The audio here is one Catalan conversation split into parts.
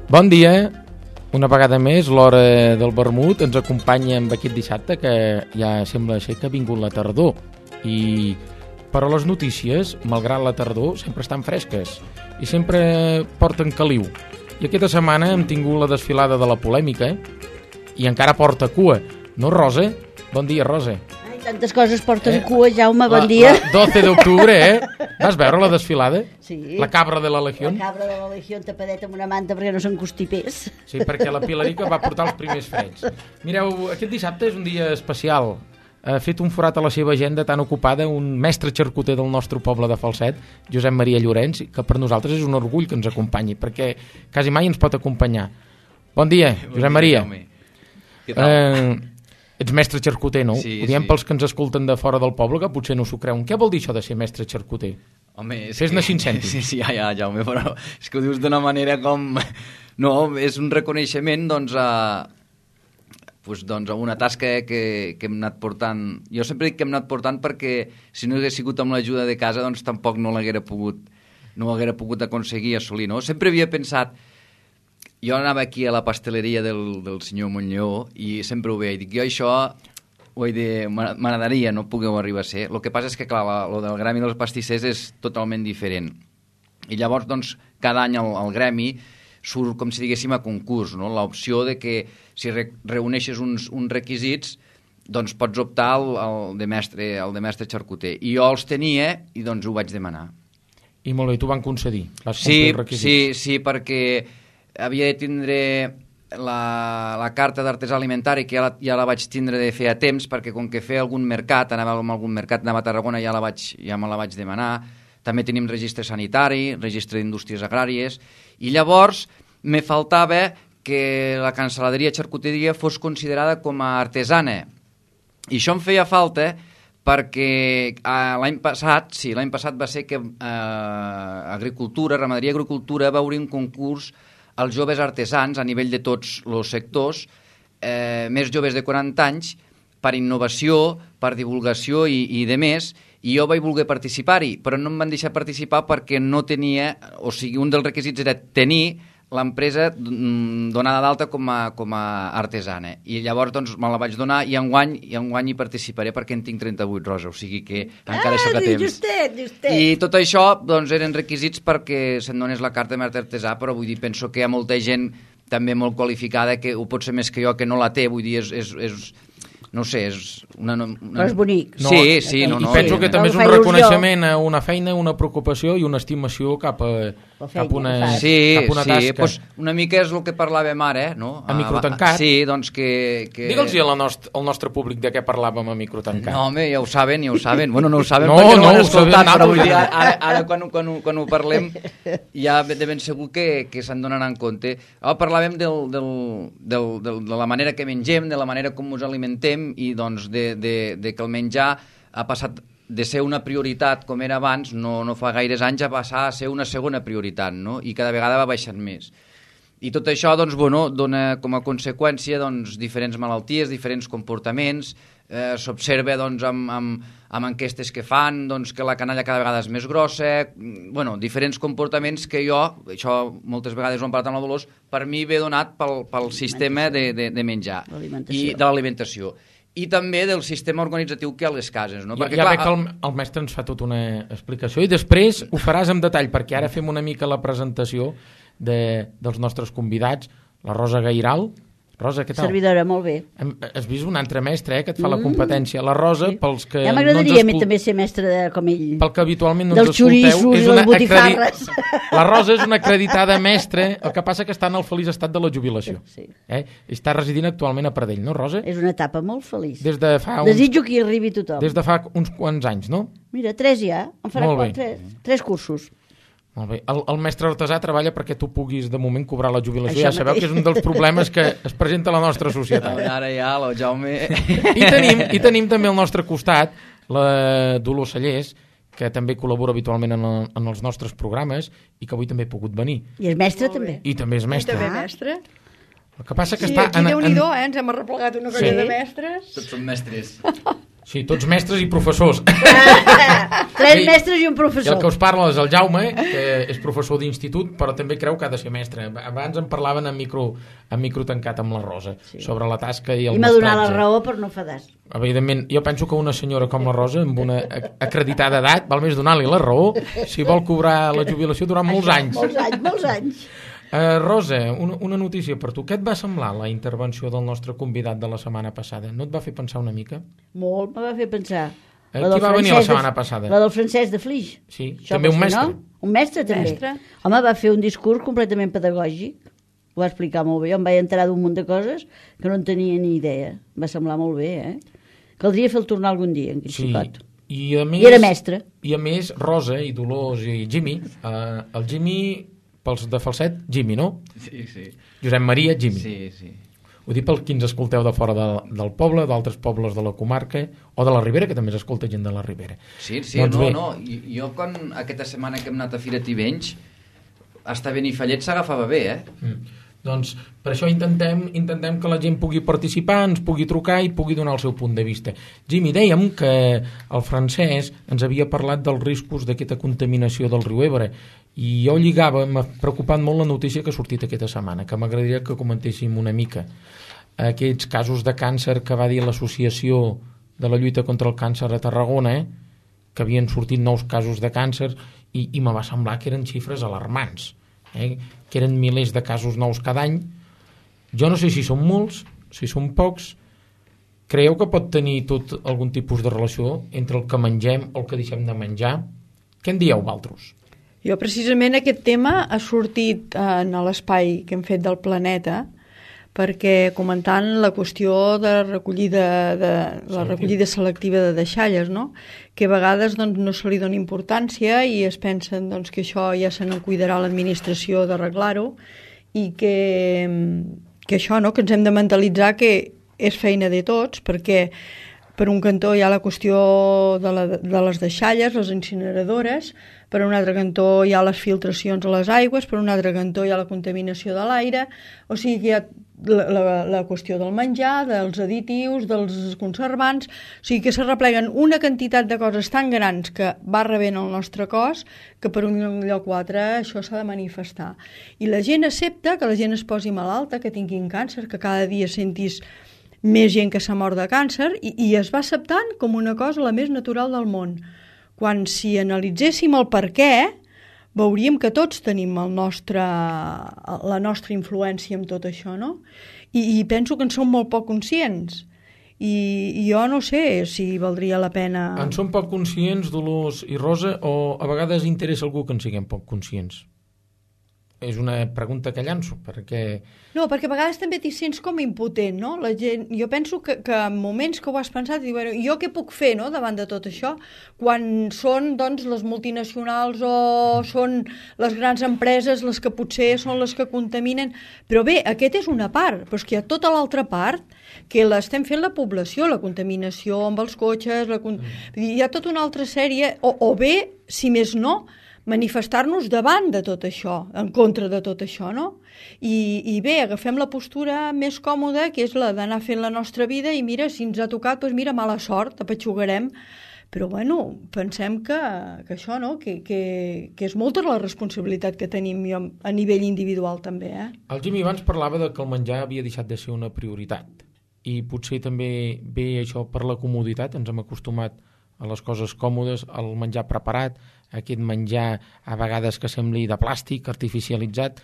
Bon dia, una vegada més, l'hora del vermut ens acompanya amb aquest dissabte que ja sembla ser que ha vingut la tardor però les notícies, malgrat la tardor, sempre estan fresques i sempre porten caliu. I aquesta setmana hem tingut la desfilada de la polèmica i encara porta cua, no, Rosa? Bon dia, Rosa. Tantes coses porten cua, Jaume, bon dia. 12 d'octubre, Vas veure la desfilada? Sí. La cabra de la Legión? La cabra de la Legión tapadeta amb una manta perquè no s'encostipés. Sí, perquè la Pilarica va portar els primers freds. Mireu, aquest dissabte és un dia especial. Ha fet un forat a la seva agenda tan ocupada un mestre xarcuter del nostre poble de Falset, Josep Maria Llorenç, que per nosaltres és un orgull que ens acompanyi, perquè quasi mai ens pot acompanyar. Bon dia, Josep Maria. Què tal? Ets mestre xarcuter, no? Sí, Ho diem sí. pels que ens escolten de fora del poble, que potser no s'ho creuen. Què vol dir això de ser mestre xarcuter? Home, Fes-ne 5 cèntims. Sí, ja, Jaume, però és que ho dius d'una manera com... No, és un reconeixement, doncs, a una tasca que hem anat portant. Jo sempre dic que hem anat portant perquè si no hagués sigut amb l'ajuda de casa, doncs tampoc no l'haguera pogut aconseguir assolir, no? Sempre havia pensat... Jo anava aquí a la pasteleria del senyor Montlló i sempre ho veia i dic, jo això m'agradaria, no pugueu arribar a ser. El que passa és que, clar, el del gremi dels pastissers és totalment diferent. I llavors, doncs, cada any el gremi surt, com si diguéssim, a concurs, no? L'opció de que si reuneixes uns requisits, doncs pots optar al de mestre xarcuter. I jo els tenia i doncs ho vaig demanar. I molt bé, t'ho van concedir? Vas complir els requisits? Sí, perquè havia de tindre la carta d'artesà alimentari, que ja la vaig tindre de fer a temps, perquè com que feia algun mercat, anava a algun mercat, anava a Tarragona, ja me la vaig demanar. També tenim registre sanitari, registre d'indústries agràries, i llavors me faltava que la cancel·laderia xarcuteria fos considerada com a artesana. I això em feia falta perquè l'any passat va ser que Agricultura, Ramaderia i Agricultura va obrir un concurs als joves artesans a nivell de tots els sectors, més joves de 40 anys, per innovació, per divulgació i de més, i jo vaig voler participar-hi, però no em van deixar participar perquè no tenia, o sigui, un dels requisits era tenir l'empresa donada d'alta com a artesana. I llavors doncs, me la vaig donar i enguany hi participaré perquè en tinc 38, Rosa, o sigui que encara sóc a temps. Justet. I tot això doncs, eren requisits perquè se'n donés la carta de mestre artesà, però vull dir, penso que hi ha molta gent també molt qualificada que ho pot ser més que jo que no la té, vull dir, no sé, és una... Però és bonic. Sí, no. I penso que també és un reconeixement a una feina, una preocupació i una estimació cap a una tasca. Pues una mica és el que parlàvem ara, no? A microtancat. Sí, doncs que... Digue'ls al nostre públic de què parlàvem a microtancat. No, home, ja ho saben. Bueno, no ho saben no, perquè no ho han ho escoltat, però vull dir, nosaltres. ara quan ho parlem ja de ben segur que se'n donaran compte. Parlàvem de la manera que mengem, de la manera com ens alimentem i doncs de que el menjar ha passat de ser una prioritat com era abans, no fa gaires anys, a passar a ser una segona prioritat, no? I cada vegada va baixant més. I tot això doncs, dona com a conseqüència doncs, diferents malalties, diferents comportaments, s'observa doncs, amb enquestes que fan doncs, que la canalla cada vegada és més grossa, diferents comportaments que jo, això moltes vegades ho hem parlat amb la Dolors, per mi ve donat pel sistema de menjar i de l'alimentació. I també del sistema organitzatiu que hi ha a les cases. No? Perquè, ja veig que el mestre ens fa tota una explicació i després ho faràs en detall, perquè ara fem una mica la presentació dels nostres convidats, la Rosa Gairal. Rosa, què tal? Servidora, molt bé. Has vist un altre mestre que et fa la competència. La Rosa, pels que ja m'agradaria a mi també ser mestre com ell. Pel que habitualment no ens escolteu... Dels xoriços i les botifarres. La Rosa és una acreditada mestra, el que passa que està en el feliç estat de la jubilació. Sí. Està residint actualment a Pradell, no, Rosa? És una etapa molt feliç. Desitjo que hi arribi tothom. Des de fa uns quants anys, no? Mira, 3 ja. Em farà 3 cursos. Molt bé. El mestre artesà treballa perquè tu puguis de moment cobrar la jubilació. Això ja sabeu que és un dels problemes que es presenta a la nostra societat. Ara ja, el Jaume... I tenim també al nostre costat la Dolors Sallés, que també col·labora habitualment en els nostres programes i que avui també ha pogut venir. I és mestre també. I també és mestre. I també mestre. El que passa que sí, està... aquí Déu-n'hi-do, ens hem arreplegat una colla de mestres. Tots són mestres. Sí, tots mestres i professors. 3 mestres i un I el professor. que us parla és el Jaume, que és professor d'institut, però també creu que ha de ser mestre. Abans en parlaven en micro tancat amb la Rosa, sobre la tasca i el I m'ha donat la mestratge. raó per no fadar. Evidentment, jo penso que una senyora com la Rosa, amb una acreditada edat, val més donar-li la raó si vol cobrar la jubilació durant molts anys. Molts anys. Rosa, una notícia per tu. Què et va semblar la intervenció del nostre convidat de la setmana passada? No et va fer pensar una mica? Molt, me va fer pensar. Qui va venir la setmana passada? La del Francesc de Flix. Sí, Això també un pot ser, mestre. no? Un mestre, també. Home, va fer un discurs completament pedagògic. Ho va explicar molt bé. Jo em vaig enterar d'un munt de coses que no en tenia ni idea. Va semblar molt bé, Caldria fer el tornar algun dia, en Xicot. I era mestre. I a més, Rosa i Dolors i Jimmy, el Jimmy, pels de falset, Jimmy, no? Sí, sí. Josep Maria, Jimmy. Sí, sí. Ho dic per qui ens escolteu de fora del poble, d'altres pobles de la comarca, o de la Ribera, que també s'escolta gent de la Ribera. Sí, sí, doncs no. Jo quan aquesta setmana que hem anat a Fira Tivenys, hasta Benifallet s'agafava bé, Doncs per això intentem que la gent pugui participar, ens pugui trucar i pugui donar el seu punt de vista. Jimmy, dèiem que el Francesc ens havia parlat dels riscos d'aquesta contaminació del riu Ebre i jo lligava, m'ha preocupat molt la notícia que ha sortit aquesta setmana, que m'agradaria que comentéssim una mica. Aquests casos de càncer que va dir l'Associació de la Lluita contra el Càncer a Tarragona, que havien sortit nous casos de càncer i me va semblar que eren xifres alarmants, que eren milers de casos nous cada any. Jo no sé si són molts, si són pocs. Creieu que pot tenir tot algun tipus de relació entre el que mengem o el que deixem de menjar? Què en dieu, vosaltres? Jo precisament aquest tema ha sortit en l'espai que hem fet del planeta, perquè comentant la qüestió de la recollida selectiva de deixalles, no? Que a vegades doncs, no se li dona importància i es pensen doncs, que això ja se n'en cuidarà l'administració d'arreglar-ho i que això, no? Que ens hem de mentalitzar que és feina de tots, perquè per un cantó hi ha la qüestió de les deixalles, les incineradores, per un altre cantó hi ha les filtracions a les aigües, per un altre cantó hi ha la contaminació de l'aire, o sigui que hi ha la qüestió del menjar, dels additius, dels conservants, o sigui que s'arrepleguen una quantitat de coses tan grans que va rebent el nostre cos que per un lloc o altre això s'ha de manifestar. I la gent accepta que la gent es posi malalta, que tinguin càncer, que cada dia sentis més gent que s'ha mort de càncer i es va acceptant com una cosa la més natural del món. Quan si analitzéssim el per què, veuríem que tots tenim la nostra influència en tot això, no? I penso que en som molt poc conscients. I jo no sé si valdria la pena... En som poc conscients, Dolors i Rosa, o a vegades interessa algú que en siguem poc conscients? És una pregunta que llanço, perquè... No, perquè a vegades també t'hi sents com impotent, no? La gent, jo penso que en moments que ho has pensat, dius, bueno, jo què puc fer, no?, davant de tot això, quan són, doncs, les multinacionals o són les grans empreses les que potser són les que contaminen, però bé, aquest és una part, però és que hi ha tota l'altra part que l'estem fent la població, la contaminació amb els cotxes, hi ha tota una altra sèrie, o bé, si més no, manifestar-nos davant de tot això, en contra de tot això, no? I bé, agafem la postura més còmoda, que és la d'anar fent la nostra vida, i mira, si ens ha tocat, doncs mira, mala sort, apatxugarem. Però bueno, pensem que això, no?, que és molta la responsabilitat que tenim a nivell individual també, El Jimmy abans parlava de que el menjar havia deixat de ser una prioritat, i potser també ve això per la comoditat, ens hem acostumat a les coses còmodes, al menjar preparat, aquest menjar a vegades que sembli de plàstic, artificialitzat.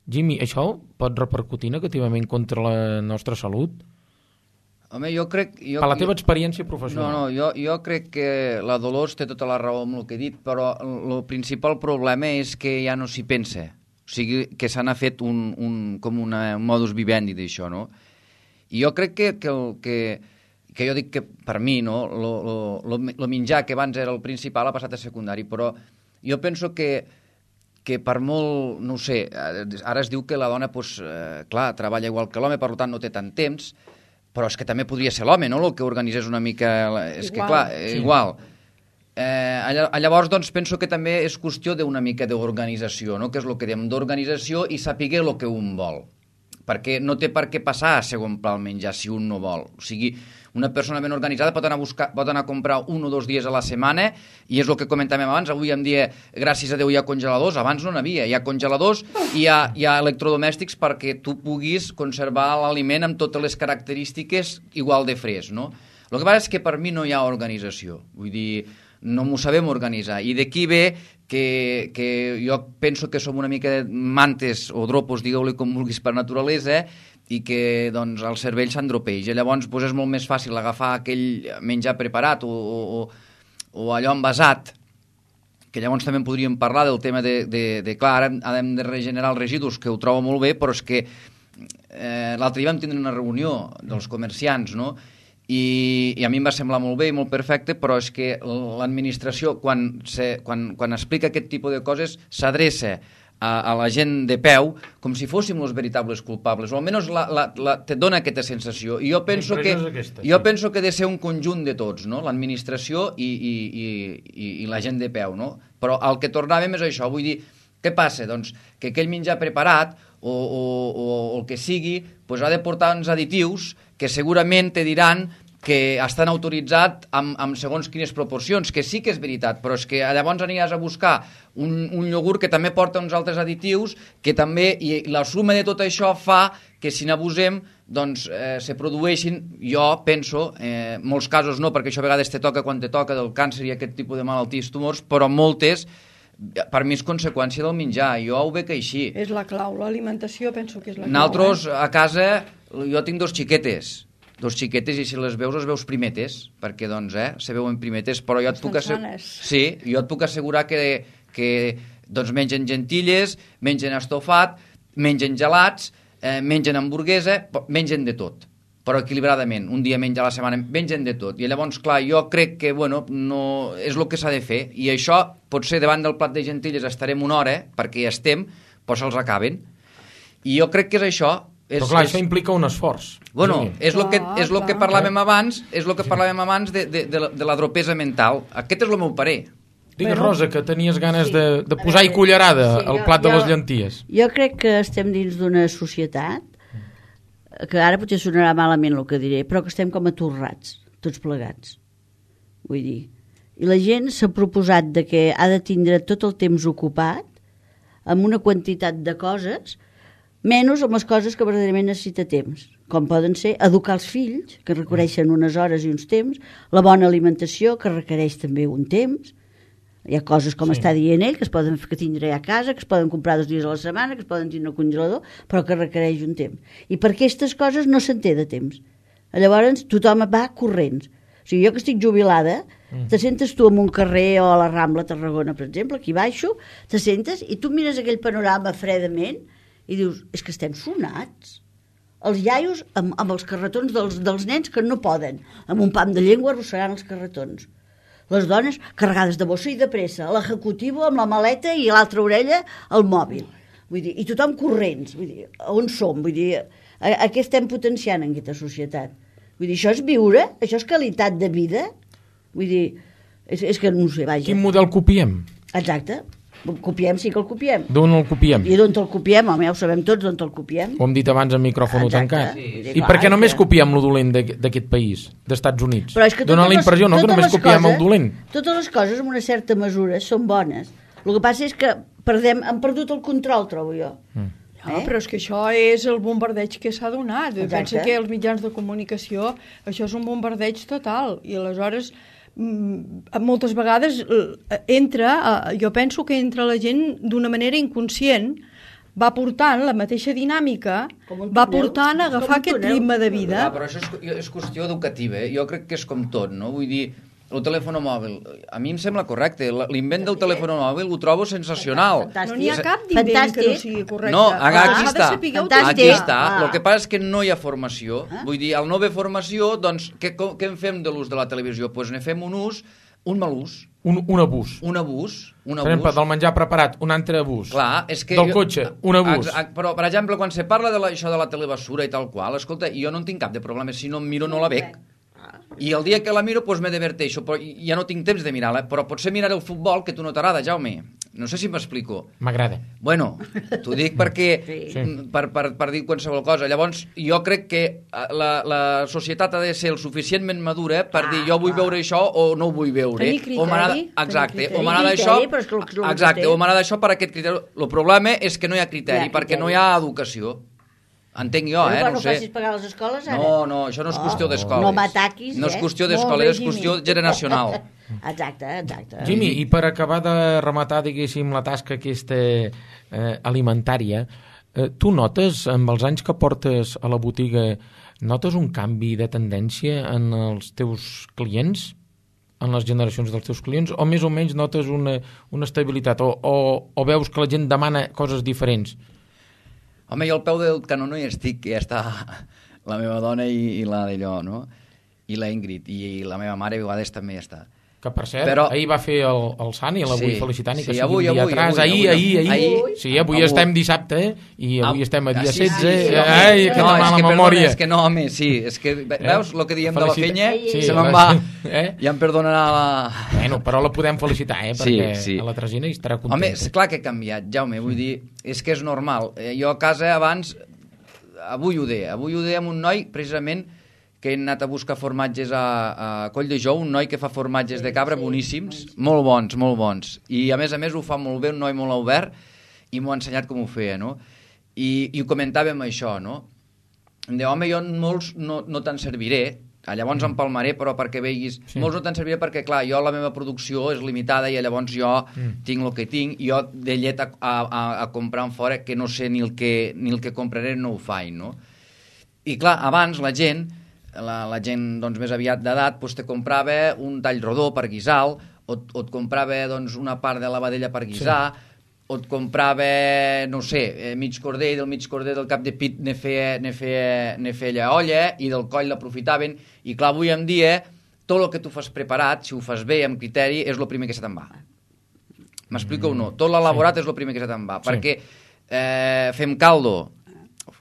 Jimmy, això pot repercutir negativament contra la nostra salut? Home, jo crec... Per la teva experiència professional. No, jo crec que la Dolors té tota la raó amb el que he dit, però el principal problema és que ja no s'hi pensa. O sigui, que se n'ha fet com un modus vivendi d'això, no? I jo crec que jo dic que per mi, no, el menjar que abans era el principal ha passat a secundari, però jo penso que per molt, no ho sé, ara es diu que la dona, doncs, clar, treballa igual que l'home, per tant no té tant temps, però és que també podria ser l'home, no?, el que organitzés una mica... És que, clar, sí. Igual. Llavors, doncs, penso que també és qüestió d'una mica d'organització, no?, que és el que diem, d'organització i saber el que un vol. Perquè no té per què passar a segon pla el menjar si un no vol. O sigui, Una persona ben organitzada pot anar a comprar 1 o 2 dies a la setmana, i és el que comentàvem abans. Avui en dia, gràcies a Déu, hi ha congeladors, abans no n'havia. Hi ha congeladors i hi ha electrodomèstics perquè tu puguis conservar l'aliment amb totes les característiques igual de fresc, no? El que passa és que per mi no hi ha organització. Vull dir, no m'ho sabem organitzar. I d'aquí ve que jo penso que som una mica de mantes o dropos, digueu-li com vulguis, per naturalesa, i que doncs, el cervell s'andropeix. I llavors doncs, és molt més fàcil agafar aquell menjar preparat o allò envasat, que llavors també podríem parlar del tema de clar, ara hem de regenerar els residus, que ho trobo molt bé, però és que l'altre dia vam tindre una reunió dels comerciants, no?, i a mi em va semblar molt bé i molt perfecte, però és que l'administració, quan explica aquest tipus de coses, s'adreça a la gent de peu com si fóssim els veritables culpables, o almenys te dona aquesta sensació. I jo penso que ha de ser un conjunt de tots, no? L'administració i la gent de peu, no? Però el que tornàvem és això, vull dir, què passa? Doncs que aquell menjar preparat o el que sigui doncs ha de portar uns additius que segurament te diran que estan autoritzats amb segons quines proporcions, que sí que és veritat, però és que llavors aniràs a buscar un iogurt que també porta uns altres additius, que també, i la suma de tot això fa que si n'abusem doncs se produeixin, jo penso, molts casos no, perquè això a vegades te toca quan te toca del càncer i aquest tipus de malalties, tumors, però moltes per mi és conseqüència del menjar, jo ho veig així. És la clau, l'alimentació penso que és la clau. Nosaltres a casa, jo tinc dos xiquetes i si les veus primetes, perquè doncs se veuen primetes, però jo et puc assegurar que doncs mengen gentilles, mengen estofat, mengen gelats, mengen hamburguesa, mengen de tot, però equilibradament, un dia menja a la setmana, mengen de tot, i llavors, clar, jo crec que, bueno, no és el que s'ha de fer, i això, potser davant del plat de gentilles estarem una hora, perquè hi estem, però se'ls acaben, i jo crec que és això. Però clar, això implica un esforç. Bueno, és el que parlàvem abans, de la dropesa mental. Aquest és el meu parer. Digues, Rosa, que tenies ganes de posar-hi cullerada al plat de les llenties. Jo crec que estem dins d'una societat que ara potser sonarà malament el que diré, però que estem com atorrats, tots plegats. Vull dir, i la gent s'ha proposat de que ha de tindre tot el temps ocupat amb una quantitat de coses, menys amb les coses que verdaderament necessita temps, com poden ser educar els fills, que requereixen unes hores i uns temps, la bona alimentació, que requereix també un temps. Hi ha coses, com està dient ell, que es poden tindre a casa, que es poden comprar 2 dies a la setmana, que es poden tindre al congelador, però que requereix un temps. I per aquestes coses no se'n té de temps. Llavors tothom va corrents. O sigui, jo que estic jubilada, te sentes tu en un carrer o a la Rambla Tarragona, per exemple, aquí baixo, te sentes i tu mires aquell panorama fredament i dius, és que estem sonats. Els iaios amb els carretons dels nens que no poden, amb un pam de llengua arrossegant els carretons. Les dones carregades de bossa i de pressa, l'executivo amb la maleta i l'altra orella al mòbil. Vull dir, i tothom corrents. Vull dir, on som? Vull dir, a què estem potenciant en aquesta societat? Vull dir, això és viure? Això és qualitat de vida? Vull dir, és que no sé, vaja. Quin model copiem? Exacte. Copiem, sí que el copiem. D'on el copiem? I d'on el copiem, home, ja ho sabem tots, d'on el copiem. Ho hem dit abans amb micròfon tancat. Sí. I per què només copiem lo dolent d'aquest país, d'Estats Units? Però és que dona la impressió, no, que només copiem el dolent. Totes les coses, en una certa mesura, són bones. El que passa és que hem perdut el control, trobo jo. Però és que això és el bombardeig que s'ha donat. Pensa que els mitjans de comunicació, això és un bombardeig total. I aleshores moltes vegades jo penso que entra la gent d'una manera inconscient, va portant la mateixa dinàmica, va portant a agafar aquest ritme de vida. Però això és qüestió educativa, jo crec que és com tot, no? Vull dir, el telèfon mòbil, a mi em sembla correcte, l'invent del telèfon mòbil ho trobo sensacional. No n'hi ha cap d'invent que no sigui correcte. No, aquí està. El que passa és que no hi ha formació. Vull dir, al no haver formació, doncs, què en fem de l'ús de la televisió? Doncs ne fem un mal ús. Un abús. Un abús. Per exemple, del menjar preparat, un altre abús. Clar, és que... Del cotxe, un abús. Però, per exemple, quan se parla d'això de la telebasura i tal qual, escolta, jo no en tinc cap de problema, si no em miro no la veig. I el dia que la miro, doncs me diverteixo, però ja no tinc temps de mirar-la, però potser mirar el futbol, que tu no t'agrada, Jaume, No sé si m'explico. M'agrada. Bueno, t'ho dic perquè Sí. per dir qualsevol cosa. Llavors, jo crec que la societat ha de ser el suficientment madura per dir jo vull veure això o no ho vull veure. Tenir criteri. O m'agrada, Tenir exacte, criteri. o m'agrada Criteri, això, però és que el exacte, té. o m'agrada això per aquest criteri. El problema és que no hi ha criteri, Hi ha perquè criteri. no hi ha educació. Entenc jo, Però no no ho sé. facis pagar les escoles, ara. No, això no és qüestió d'escoles. No m'ataquis, No és qüestió Molt d'escoles, bé, és qüestió generacional. Exacte. Jimmy, i per acabar de rematar, diguéssim, la tasca aquesta alimentària, tu notes, amb els anys que portes a la botiga, notes un canvi de tendència en els teus clients? En les generacions dels teus clients? O més o menys notes una estabilitat? O veus que la gent demana coses diferents? Home, jo al peu del canó no hi estic, que ja està la meva dona i la d'allò, no? I la Ingrid, i la meva mare a vegades també hi està. Que, per cert, Però... ahir va fer el Sant i l'avui felicitant, i que Sí, sigui un dia atràs. Ahir. Sí, avui estem dissabte, i avui estem a dia 16. Ai, que no, mala és que, memòria. Perdona, és que no, home, sí. És que, veus, el que diem de la fenya, Sí, se me'n va. Eh? Ja em perdonarà la... Bueno, però la podem felicitar, perquè Sí. a la Tresina hi estarà contenta. Home, és clar que ha canviat, Jaume, vull dir, és que és normal. Jo a casa abans, avui ho deia amb un noi, precisament, que he anat a buscar formatges a Coll de Jou, un noi que fa formatges de cabra boníssims, molt bons. I a més ho fa molt bé, un noi molt obert, i m'ho ha ensenyat com ho feia, no? I ho comentàvem això, no? Em diu, home, jo molts no te'n serviré, llavors empalmaré, però perquè veguis... Sí. Molts no te'n serviré perquè, clar, jo la meva producció és limitada i llavors jo tinc el que tinc, i jo de llet a comprar en fora, que no sé ni el que compraré, no ho faig, no? I clar, abans la gent doncs, més aviat d'edat doncs, te comprava un tall rodó per guisar, o et comprava doncs, una part de la vedella per guisar, o et comprava, no sé, mig corder, i del mig corder del cap de pit ne feia olla, i del coll l'aprofitaven, i clar, avui en dia, tot el que tu fas preparat, si ho fas bé, amb criteri, és el primer que se te'n va. M'explico o no? Tot l'elaborat és el primer que se te'n va, perquè fem caldo,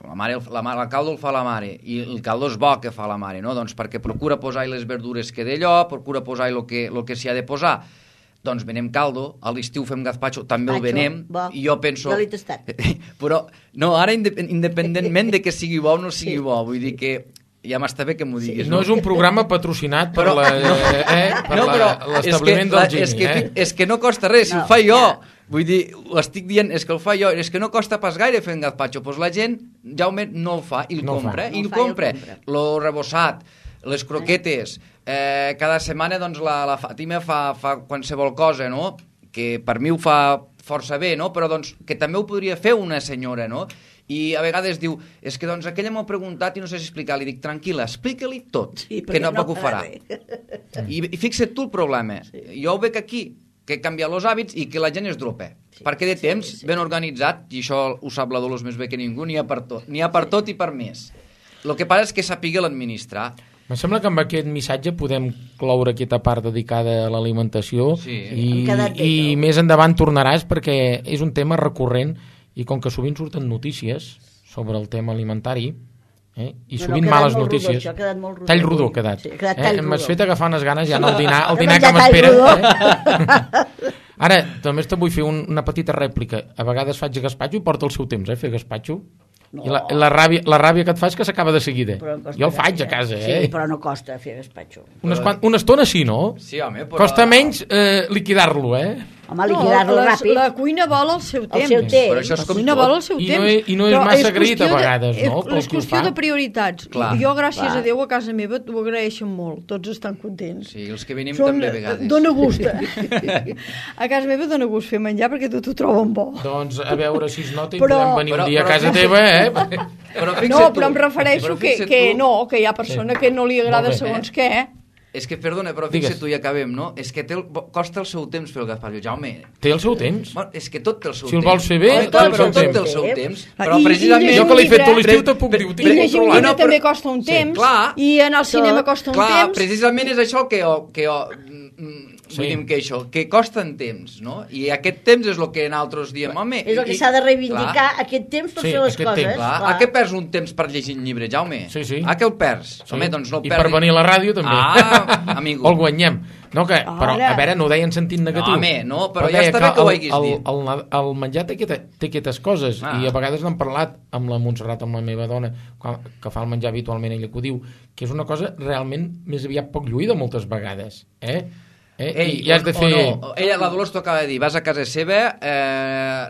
la caldo el fa la mare, i el caldo és bo que fa la mare, no? Doncs perquè procura posar-hi les verdures que d'allò, procura posar-hi el que s'hi ha de posar. Doncs venem caldo, a l'estiu fem gazpacho, també el venem, i jo penso... Jo l'he tastat. Però, no, ara independentment de que sigui bo o no sigui bo, vull dir que ja m'està bé que m'ho diguis. No és un programa patrocinat per l'establiment del Gini. És que no costa res, si ho fa jo. Vull dir, ho estic dient, és que el fa jo, és que no costa pas gaire fer un gazpacho, doncs la gent, Jaume, no el fa, i el compra, i el compra. Lo rebossat, les croquetes, cada setmana doncs la Fàtima fa qualsevol cosa, no? Que per mi ho fa força bé, no? Però doncs que també ho podria fer una senyora, no? I a vegades diu, és que doncs aquella m'ha preguntat i no sé si explicar, li dic, tranquil·la, explica-li tot, que no ho farà. I fixa't tu el problema, jo ho veig aquí, que canvia els hàbits i que la gent es dropa. Perquè de temps, ben organitzat, i això ho sap la Dolors més bé que ningú, n'hi ha per tot. N'hi ha per tot i per més. El que passa és que sàpiga l'administrar. Em sembla que amb aquest missatge podem cloure aquesta part dedicada a l'alimentació i més endavant tornaràs perquè és un tema recurrent i com que sovint surten notícies sobre el tema alimentari, i sovint males notícies. Rodó, això ha quedat molt rodó. Tall rodó ha quedat. Sí, ha quedat tall rodó. M'has fet agafar unes ganes ja en el dinar que m'espera. Ara, també te vull fer una petita rèplica. A vegades faig gazpacho i porta el seu temps, fer gazpacho. No. I la ràbia que et fa és que s'acaba de seguida. Jo el faig a casa, Sí, però no costa fer gazpacho. Una estona sí, no? Sí, home, però... Costa menys liquidar-lo, Home, liquidar-lo ràpid. La cuina vol el seu temps. Però això és la cuina vol el seu temps. I no és massa agraït a vegades, no? És qüestió de prioritats. Jo, gràcies a Déu, a casa meva t'ho agraeixen molt. Tots estan contents. Sí, els que venim també a vegades. Dóna gust. A casa meva dóna gust fer menjar perquè tot ho troben bo. Doncs a veure si es nota i podem venir un dia a casa teva, No, però em refereixo que hi ha persona que no li agrada segons què, És que, perdona, però fixa't tu i acabem, no? És que costa el seu temps fer el gazpacho, Jaume. Té el seu temps? És que tot té el seu temps. Si el vols fer bé, té el seu temps. Però precisament... Jo que l'he fet tot l'estiu te puc dir, ho tinc controlat. I llegir un llibre també costa un temps, i anar al cinema costa un temps. Clar, precisament és això que jo vull dir que això, que costa en temps, no? I aquest temps és el que nosaltres diem, home... És el que s'ha de reivindicar, aquest temps per fer les coses. A què perds un temps per llegir un llibre, Jaume? Sí. A què el perds? Home, doncs no el perds. I per venir a la ràdio també. Ah, amigo. El guanyem. No, però, a veure, no ho deia en sentit negatiu. No, home, no, però ja està bé que ho haguis dit. El menjar té aquestes coses, i a vegades n'hem parlat amb la Montserrat, amb la meva dona, que fa el menjar habitualment, ella que ho diu, que és una cosa realment més aviat poc lluïda moltes vegades, i has de fer... No. Ella, la Dolors, t'ho acaba de dir, vas a casa seva,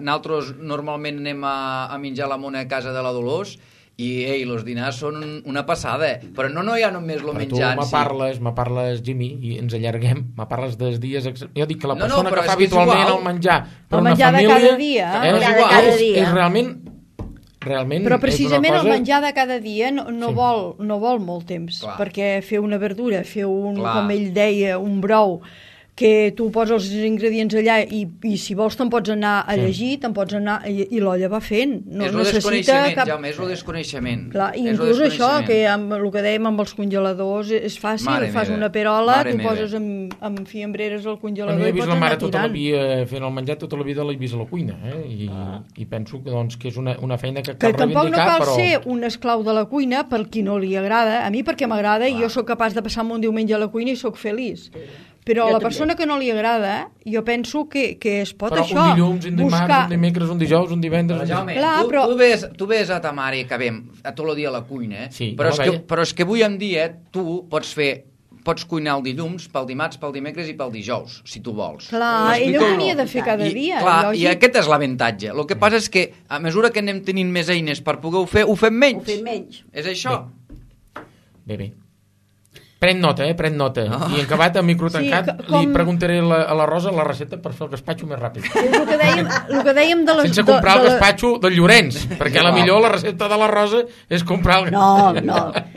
nosaltres normalment anem a menjar la mona a casa de la Dolors, i els dinars són una passada, però no hi ha només el menjar en si. Me parles, Jimmy, i ens allarguem, me parles dels dies... Jo dic que la persona que fa habitualment el menjar per una família... El menjar de cada dia. És realment però precisament el menjar de cada dia no vol molt temps. Clar. Perquè fer una verdura, fer com ell deia, un brou, que tu poses els ingredients allà i si vols te'n pots anar a llegir, te'n pots anar i l'olla va fent. No necessita cap... Jaume, és el desconeixement. Clar, inclús això, que amb el que dèiem amb els congeladors, és fàcil, fas una perola, tu poses amb fiambreres al congelador i pots anar tirant. Tota la vida fent el menjar, tota la vida l'he vist a la cuina, i penso que és una feina que cal reivindicar, tampoc no cal ser un esclau de la cuina per qui no li agrada. A mi perquè m'agrada i jo sóc capaç de passar-me un diumenge a la cuina i sóc feliç. Però a la persona que no li agrada, jo penso que es pot això. Però un dilluns, un dimarts, un dimecres, un dijous, un divendres... Jaume, tu ves a ta mare, que vem, a tot el dia a la cuina, però és que avui en dia tu pots cuinar el dilluns, pel dimarts, pel dimecres i pel dijous, si tu vols. Clar, ell ho tenia de fer cada dia. Clar, i aquest és l'avantatge. El que passa és que, a mesura que anem tenint més eines per poder-ho fer, ho fem menys. Ho fem menys. És això. Bé. Pren nota. I en acabat, a micro tancat, li preguntaré a la Rosa la recepta per fer el gaspatxo més ràpid. El que dèiem de les... Sense comprar el gaspatxo del Llorenç, perquè millor la recepta de la Rosa és comprar el... No,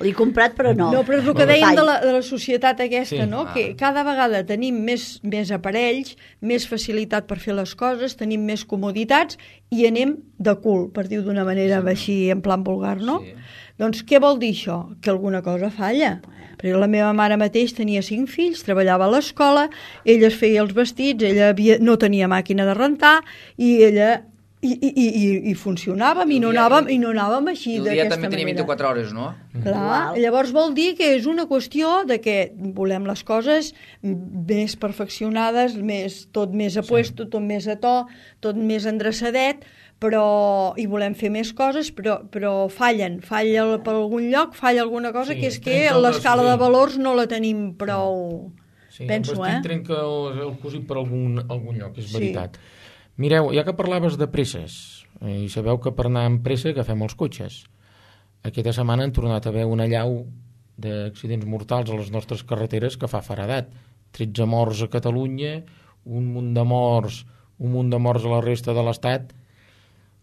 l'he comprat però no. No, però és el que dèiem de la societat aquesta, no? Que cada vegada tenim més aparells, més facilitat per fer les coses, tenim més comoditats i anem de cul, per dir-ho d'una manera així en plan vulgar, no? Doncs què vol dir això? Que alguna cosa falla. Perquè la meva mare mateix tenia 5 fills, treballava a l'escola, ella es feia els vestits, ella no tenia màquina de rentar i ella i funcionàvem i no anàvem així d'aquesta manera. El dia també tenia 24 hores, no? Clar, llavors vol dir que és una qüestió de que volem les coses més perfeccionades, tot més a puesto, tot més a to, tot més endreçadet, i volem fer més coses, però falla per algun lloc, falla alguna cosa, que és que l'escala de valors no la tenim prou, penso, el vestit trenca el cosit per algun lloc, és veritat. Mireu, ja que parlaves de presses, i sabeu que per anar amb pressa agafem els cotxes. Aquesta setmana han tornat a haver una allau d'accidents mortals a les nostres carreteres que fa feredat. 13 morts a Catalunya, un munt de morts a la resta de l'Estat.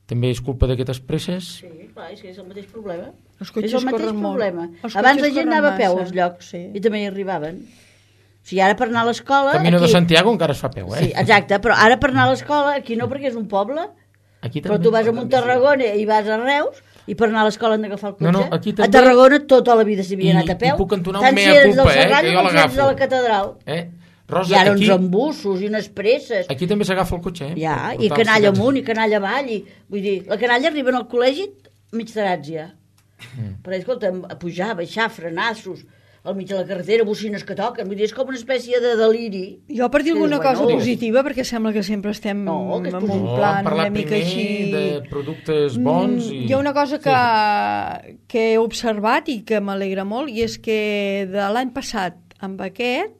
També és culpa d'aquestes presses? Sí, clar, és que és el mateix problema. Els cotxes corren molt. Abans la gent anava a peu als llocs i també hi arribaven. O sigui, ara per anar a l'escola... Camino de Santiago encara es fa peu, Sí, exacte, però ara per anar a l'escola, aquí no, perquè és un poble, però tu vas a Montarragona i vas a Reus, i per anar a l'escola han d'agafar el cotxe. No, aquí també... A Tarragona tota la vida s'havia anat a peu. I puc entonar un mea culpa, que jo l'agafo. Tant si eres de la catedral. Rosa, hi ha uns embussos i unes presses. Aquí també s'agafa el cotxe, Ja, i canalla amunt i canalla avall. Vull dir, la canalla arriben al col·legi mig tarats ja. Però, escolta, a pujar, baixar, frenassos, al mig de la carretera, bocines que toquen. Vull dir, és com una espècie de deliri. Jo per dir alguna cosa positiva, perquè sembla que sempre estem en un plan una mica així... de productes bons i... Hi ha una cosa que he observat i que m'alegra molt, i és que de l'any passat amb aquest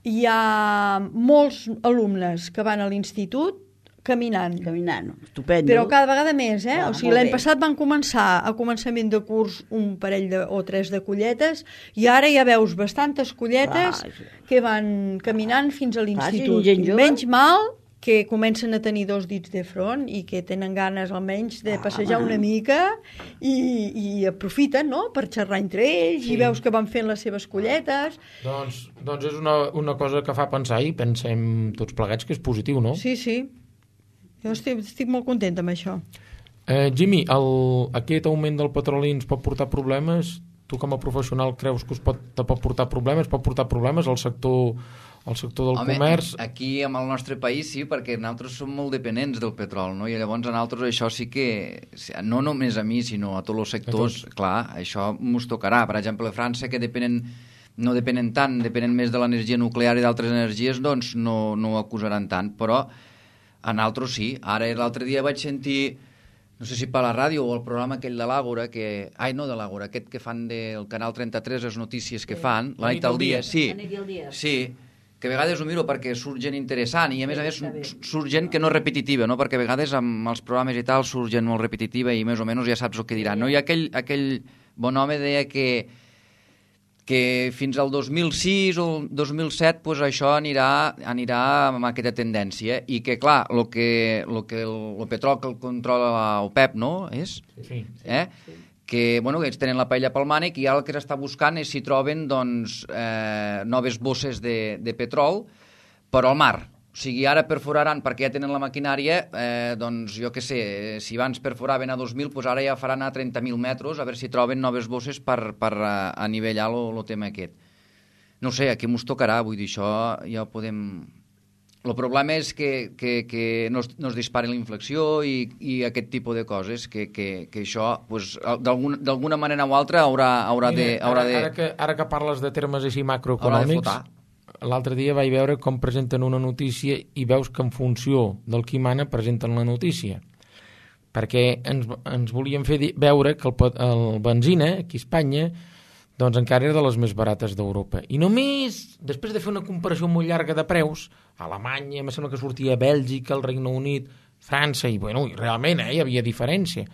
hi ha molts alumnes que van a l'institut caminant, estupendo. Però cada vegada més, o sigui, l'any passat van començar a començament de curs un parell o 3 de colletes i ara ja veus bastantes colletes que van caminant fins a l'institut. Menys mal que comencen a tenir 2 dits de front i que tenen ganes almenys de passejar una mica i aprofiten, no?, per xerrar entre ells i veus que van fent les seves colletes. Doncs és una cosa que fa pensar i pensem tots plegats que és positiu, no? Sí. Jo estic molt contenta amb això. Jimmy, aquest augment del petroli ens pot portar problemes? Tu com a professional creus que te pot portar problemes? Pot portar problemes al sector del comerç? Aquí, en el nostre país, sí, perquè nosaltres som molt dependents del petroli, no? I llavors a nosaltres això sí que, no només a mi, sinó a tots els sectors, clar, això ens tocarà. Per exemple, a França, que depenen no depenen tant, depenen més de l'energia nuclear i d'altres energies, doncs no ho acusaran tant, però en altres sí. Ara l'altre dia vaig sentir, no sé si per la ràdio o el programa aquell de l'Àgora, no de l'Àgora, aquest que fan del Canal 33, les notícies que fan, la nit al dia, sí, que a vegades ho miro perquè surt gent interessant i a més surt gent que no és repetitiva, no? Perquè a vegades amb els programes i tal surt gent molt repetitiva i més o menys ja saps el que diran, no? I aquell bon home deia que fins al 2006 o 2007 pues, això anirà amb aquesta tendència i que, clar, el petroli que el controla l'OPEP, no? És? Sí. Que ells tenen la paella pel mànec i ara el que s'està buscant és si troben noves bosses de petrol, però al mar. O sigui, ara perforaran, perquè ja tenen la maquinària, jo què sé, si abans perforaven a 2.000, doncs ara ja faran a 30.000 metres, a veure si troben noves bosses per anivellar el tema aquest. No sé, aquí mos tocarà, vull dir, això ja ho podem... El problema és que no es dispari la inflació i aquest tipus de coses, que això, pues, d'alguna manera o altra, haurà de... Ara que parles de termes així macroeconòmics, l'altre dia vaig veure com presenten una notícia i veus que en funció del qui mana presenten la notícia. Perquè ens volien fer veure que el benzina, aquí a Espanya, doncs encara era de les més barates d'Europa. I només, després de fer una comparació molt llarga de preus, Alemanya, em sembla que sortia Bèlgica, el Regne Unit, França, i realment hi havia diferència.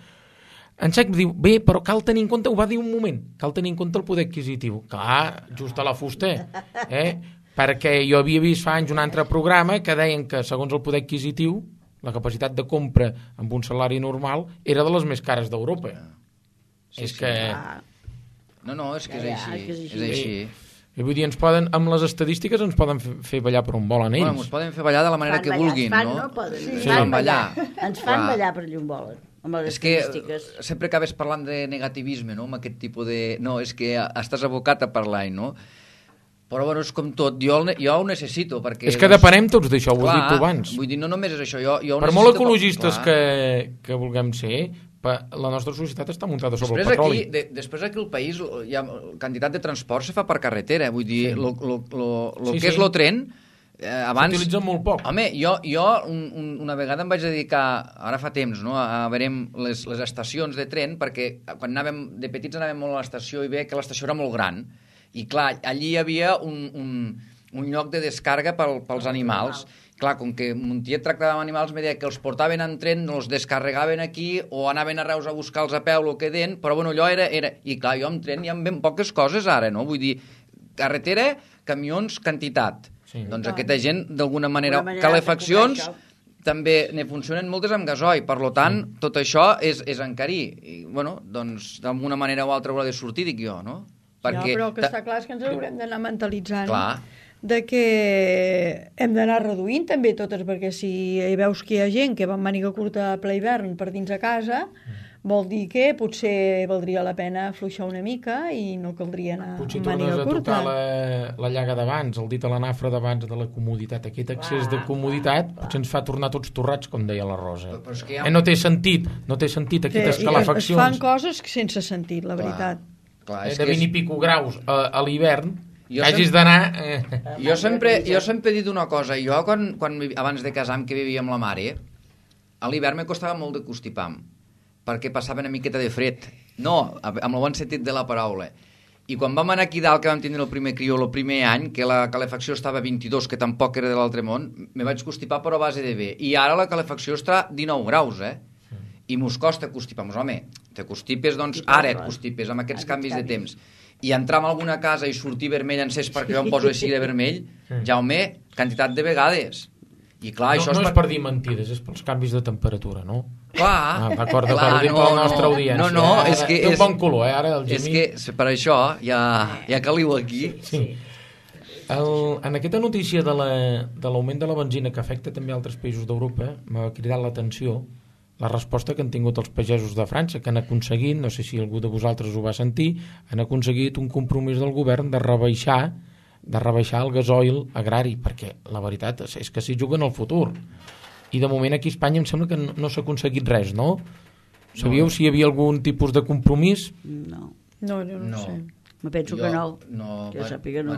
En Sec diu, bé, però cal tenir en compte, ho va dir un moment, cal tenir en compte el poder adquisitiu. Clar, just a la fusta, perquè jo havia vist fa anys un altre programa que deien que, segons el poder adquisitiu, la capacitat de compra amb un salari normal era de les més cares d'Europa. És que... No, és que és així. I vull dir, amb les estadístiques ens poden fer ballar per on volen ells. Ens poden fer ballar de la manera que vulguin, no? Ens fan ballar per allà on volen, amb les estadístiques. És que sempre acabes parlant de negativisme, no?, amb aquest tipus de... No, és que estàs abocat a parlar, no? Però, és com tot. Jo ho necessito, perquè... És que depenem tots d'això, ho he dit abans. Vull dir, no només és això, jo per molt ecologistes que vulguem ser... La nostra societat està muntada sobre el petroli. Després aquí al país hi ha quantitat de transport se fa per carretera, vull dir, el que és el tren abans... S'utilitza molt poc. Home, jo una vegada em vaig dedicar, ara fa temps, no, a veure les estacions de tren, perquè quan anàvem de petits anàvem molt a l'estació i veia que l'estació era molt gran, i clar, allí hi havia un lloc de descàrrega pels animals. Clar, com que mon tiet tractava amb animals, me deia que els portaven en tren, els descarregaven aquí, o anaven a Reus a buscar-los a peu, el que deien, però allò era... I clar, jo amb tren hi ha ben poques coses ara, no? Vull dir, carretera, camions, quantitat. Sí. Doncs aquesta gent, d'alguna manera... Calefaccions, també ne funcionen moltes amb gasoil, per tant, tot això és encarir. I, doncs, d'alguna manera o altra haurà de sortir, dic jo, no? Perquè... Ja, però el que està clar és que ens haurem d'anar mentalitzant. Clar. De que hem d'anar reduint també totes, perquè si veus que hi ha gent que va amb màniga curta a ple hivern per dins a casa, vol dir que potser valdria la pena afluixar una mica i no caldria anar amb màniga curta. Potser tornes a tocar la llaga d'abans, el dit a la nafra d'abans de la comoditat. Aquest excés de comoditat potser ens fa tornar tots torrats, com deia la Rosa. No té sentit aquestes calefaccions. Es fan coses sense sentit, la veritat. De 20 i pico graus a l'hivern, hagis d'anar... Jo sempre he dit una cosa. Jo, quan abans de casar, que vivia amb la mare, a l'hivern me costava molt de constipar, perquè passava una miqueta de fred. No, amb el bon sentit de la paraula. I quan vam anar aquí dalt, que vam tindre el primer crió, el primer any, que la calefacció estava a 22, que tampoc era de l'altre món, me vaig constipar però a base de bé. I ara la calefacció està a 19 graus, I mos costa constipar. Home, te constipes, doncs ara et constipes, amb aquests canvis de temps. I entrar en alguna casa i sortir vermell encès perquè jo em poso així de vermell, Jaume, quantitat de vegades. I clar, això és per dir mentides, és pels canvis de temperatura, no? Clar. D'acord, per ho dir per la nostra audiència. No, és que... Té un bon color, ara, el Gemí. És que per això ja caliu aquí. Sí. En aquesta notícia de l'augment de la benzina que afecta també altres països d'Europa, m'ha cridat l'atenció la resposta que han tingut els pagesos de França, que han aconseguit, no sé si algú de vosaltres ho va sentir, han aconseguit un compromís del govern de rebaixar el gasoil agrari, perquè la veritat és que s'hi juguen el futur. I de moment aquí a Espanya em sembla que no s'ha aconseguit res, no? Sabíeu si hi havia algun tipus de compromís? No. No, jo no sé. Me penso que no. Jo sàpiga no.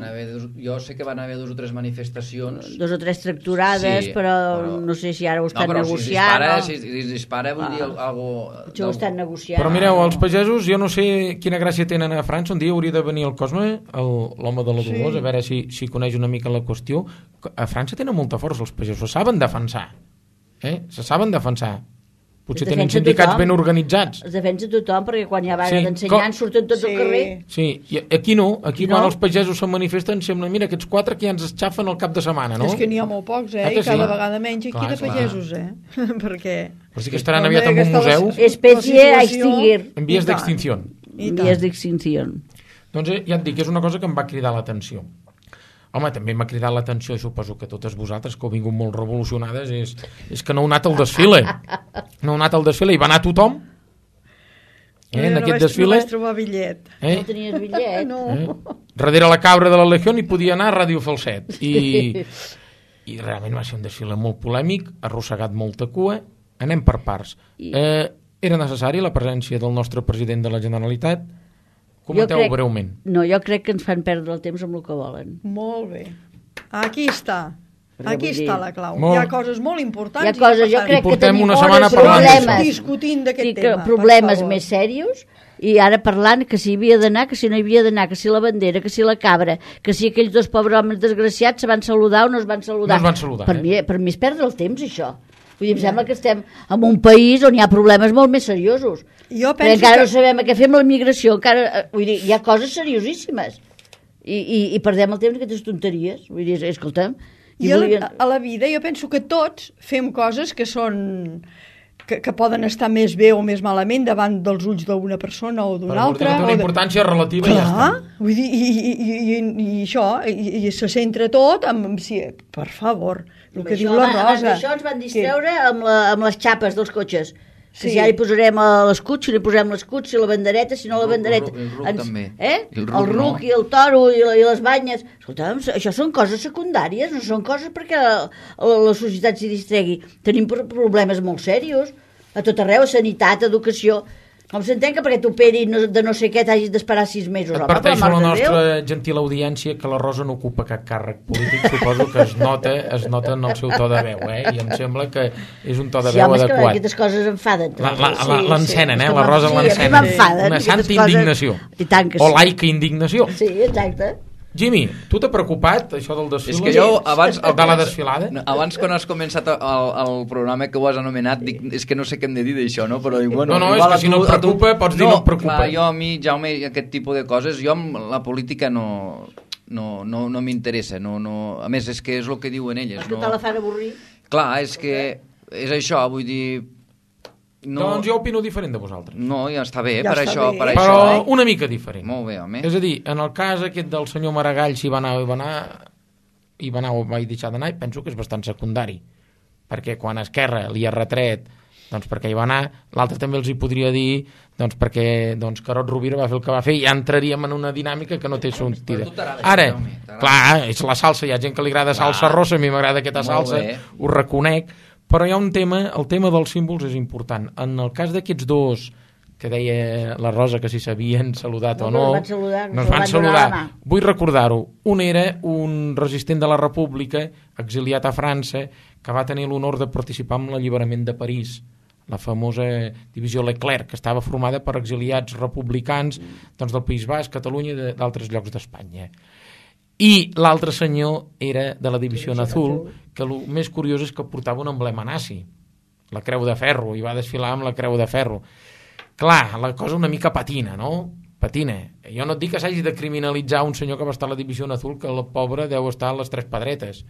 Jo sé que van haver 2 o 3 manifestacions. 2 o 3 tracturades, sí, però no sé si ara ho estan negociant. Si es dispara, vull dir algo... Potser ho estan negociant. Però mireu, els pagesos, jo no sé quina gràcia tenen a França. Un dia hauria de venir el Cosme, l'home de la Dolors, a veure si coneix una mica la qüestió. A França tenen molta força els pagesos, se saben defensar. Se saben defensar. Potser tenen sindicats ben organitzats. Es defensa tothom, perquè quan hi ha vaga d'ensenyants surten tots al carrer. Sí, i aquí no. Aquí quan els pagesos se manifesten sembla, mira, aquests 4 que ja ens esxafen el cap de setmana, no? És que n'hi ha molt pocs, i cada vegada menys aquí de pagesos, perquè... Però sí que estaran aviat en un museu. Espècie a extingir. En vies d'extinció. En vies d'extinció. Doncs ja et dic, és una cosa que em va cridar l'atenció. Home, també m'ha cridat l'atenció, i suposo que totes vosaltres, que heu vingut molt revolucionades, és que no heu anat al desfile. No heu anat al desfile, i va anar tothom. En aquest desfile... No vaig trobar bitllet. No tenies bitllet? No. Darrere la cabra de la Legió hi podia anar a Ràdio Falset. I realment va ser un desfile molt polèmic, arrossegat molta cua. Anem per parts. Era necessari la presència del nostre president de la Generalitat? Comenteu breument. No, jo crec que ens fan perdre el temps amb el que volen. Molt bé. Aquí està. Aquí està la clau. Hi ha coses molt importants. Hi ha coses, jo crec que tenim discutint d'aquest tema. Problemes més serios, i ara parlant que si hi havia d'anar, que si no hi havia d'anar, que si la bandera, que si la cabra, que si aquells 2 pobres homes desgraciats se van saludar o no es van saludar. No es van saludar, per mi és perdre el temps, això. Vull dir, em sembla que estem en un país on hi ha problemes molt més seriosos. Jo penso encara no sabem què fem la immigració, encara, vull dir, hi ha coses seriosíssimes. I perdem el temps en aquestes tonteries. Vull dir, escolta'm... A la vida jo penso que tots fem coses que són... que poden estar més bé o més malament davant dels ulls d'una persona o d'una altra. Té una importància relativa i ja està. Vull dir, i això, i se centra tot amb... Per favor, el que diu la Rosa. Això ens van distreure amb les xapes dels cotxes. Si ara hi posarem l'escut, si no hi posem l'escut, si la bandereta, si no la bandereta. El ruc també. El ruc i el toro i les banyes. Escolta'm, això són coses secundàries, no són coses perquè la societat s'hi distregui. Tenim problemes molt serios, a tot arreu, sanitat, educació. Com s'entén que perquè t'operin de no sé què t'hagis d'esperar 6 mesos? Adverteixo a la nostra gentil audiència que la Rosa no ocupa cap càrrec polític, suposo que es nota en el seu to de veu, i em sembla que és un to de veu adequat. Sí, home, és que aquestes coses enfaden. L'encenen, la Rosa l'encenen. Una santa indignació. O laica indignació. Sí, exacte. Jimmy, tu t'ha preocupat això del desfile? És que jo abans... De la desfilada? Abans, quan has començat el programa que ho has anomenat, dic, és que no sé què hem de dir d'això, no? Però dic, bueno, no, és que si no et preocupa, pots dir no et preocupa. Clar, jo a mi, Jaume, aquest tipus de coses, jo amb la política no m'interessa. A més, és que és el que diuen elles. Que te la fan avorrir? Clar, és que és això, vull dir... Doncs jo opino diferent de vosaltres. No, ja està bé, per això. Però una mica diferent. Molt bé, home. És a dir, en el cas aquest del senyor Maragall, si va anar o va deixar d'anar, penso que és bastant secundari. Perquè quan Esquerra li ha retret doncs perquè hi va anar, l'altre també els hi podria dir doncs perquè Carod Rovira va fer el que va fer i ja entraríem en una dinàmica que no té sortida. Ara, clar, és la salsa, hi ha gent que li agrada salsa rossa, a mi m'agrada aquesta salsa, ho reconec. Però hi ha un tema, el tema dels símbols és important. En el cas d'aquests 2, que deia la Rosa que si s'havien saludat o no, no es van saludar. Vull recordar-ho. Un era un resistent de la República, exiliat a França, que va tenir l'honor de participar en l'alliberament de París, la famosa divisió Leclerc, que estava formada per exiliats republicans del País Basc, Catalunya i d'altres llocs d'Espanya. I l'altre senyor era de la Divisió Azul, que el més curiós és que portava un emblema nazi, la Creu de Ferro, i va desfilar amb la Creu de Ferro. Clar, la cosa una mica patina, no? Patina. Jo no et dic que s'hagi de criminalitzar un senyor que va estar a la Divisió Azul, que el pobre deu estar a les 3 pedretes.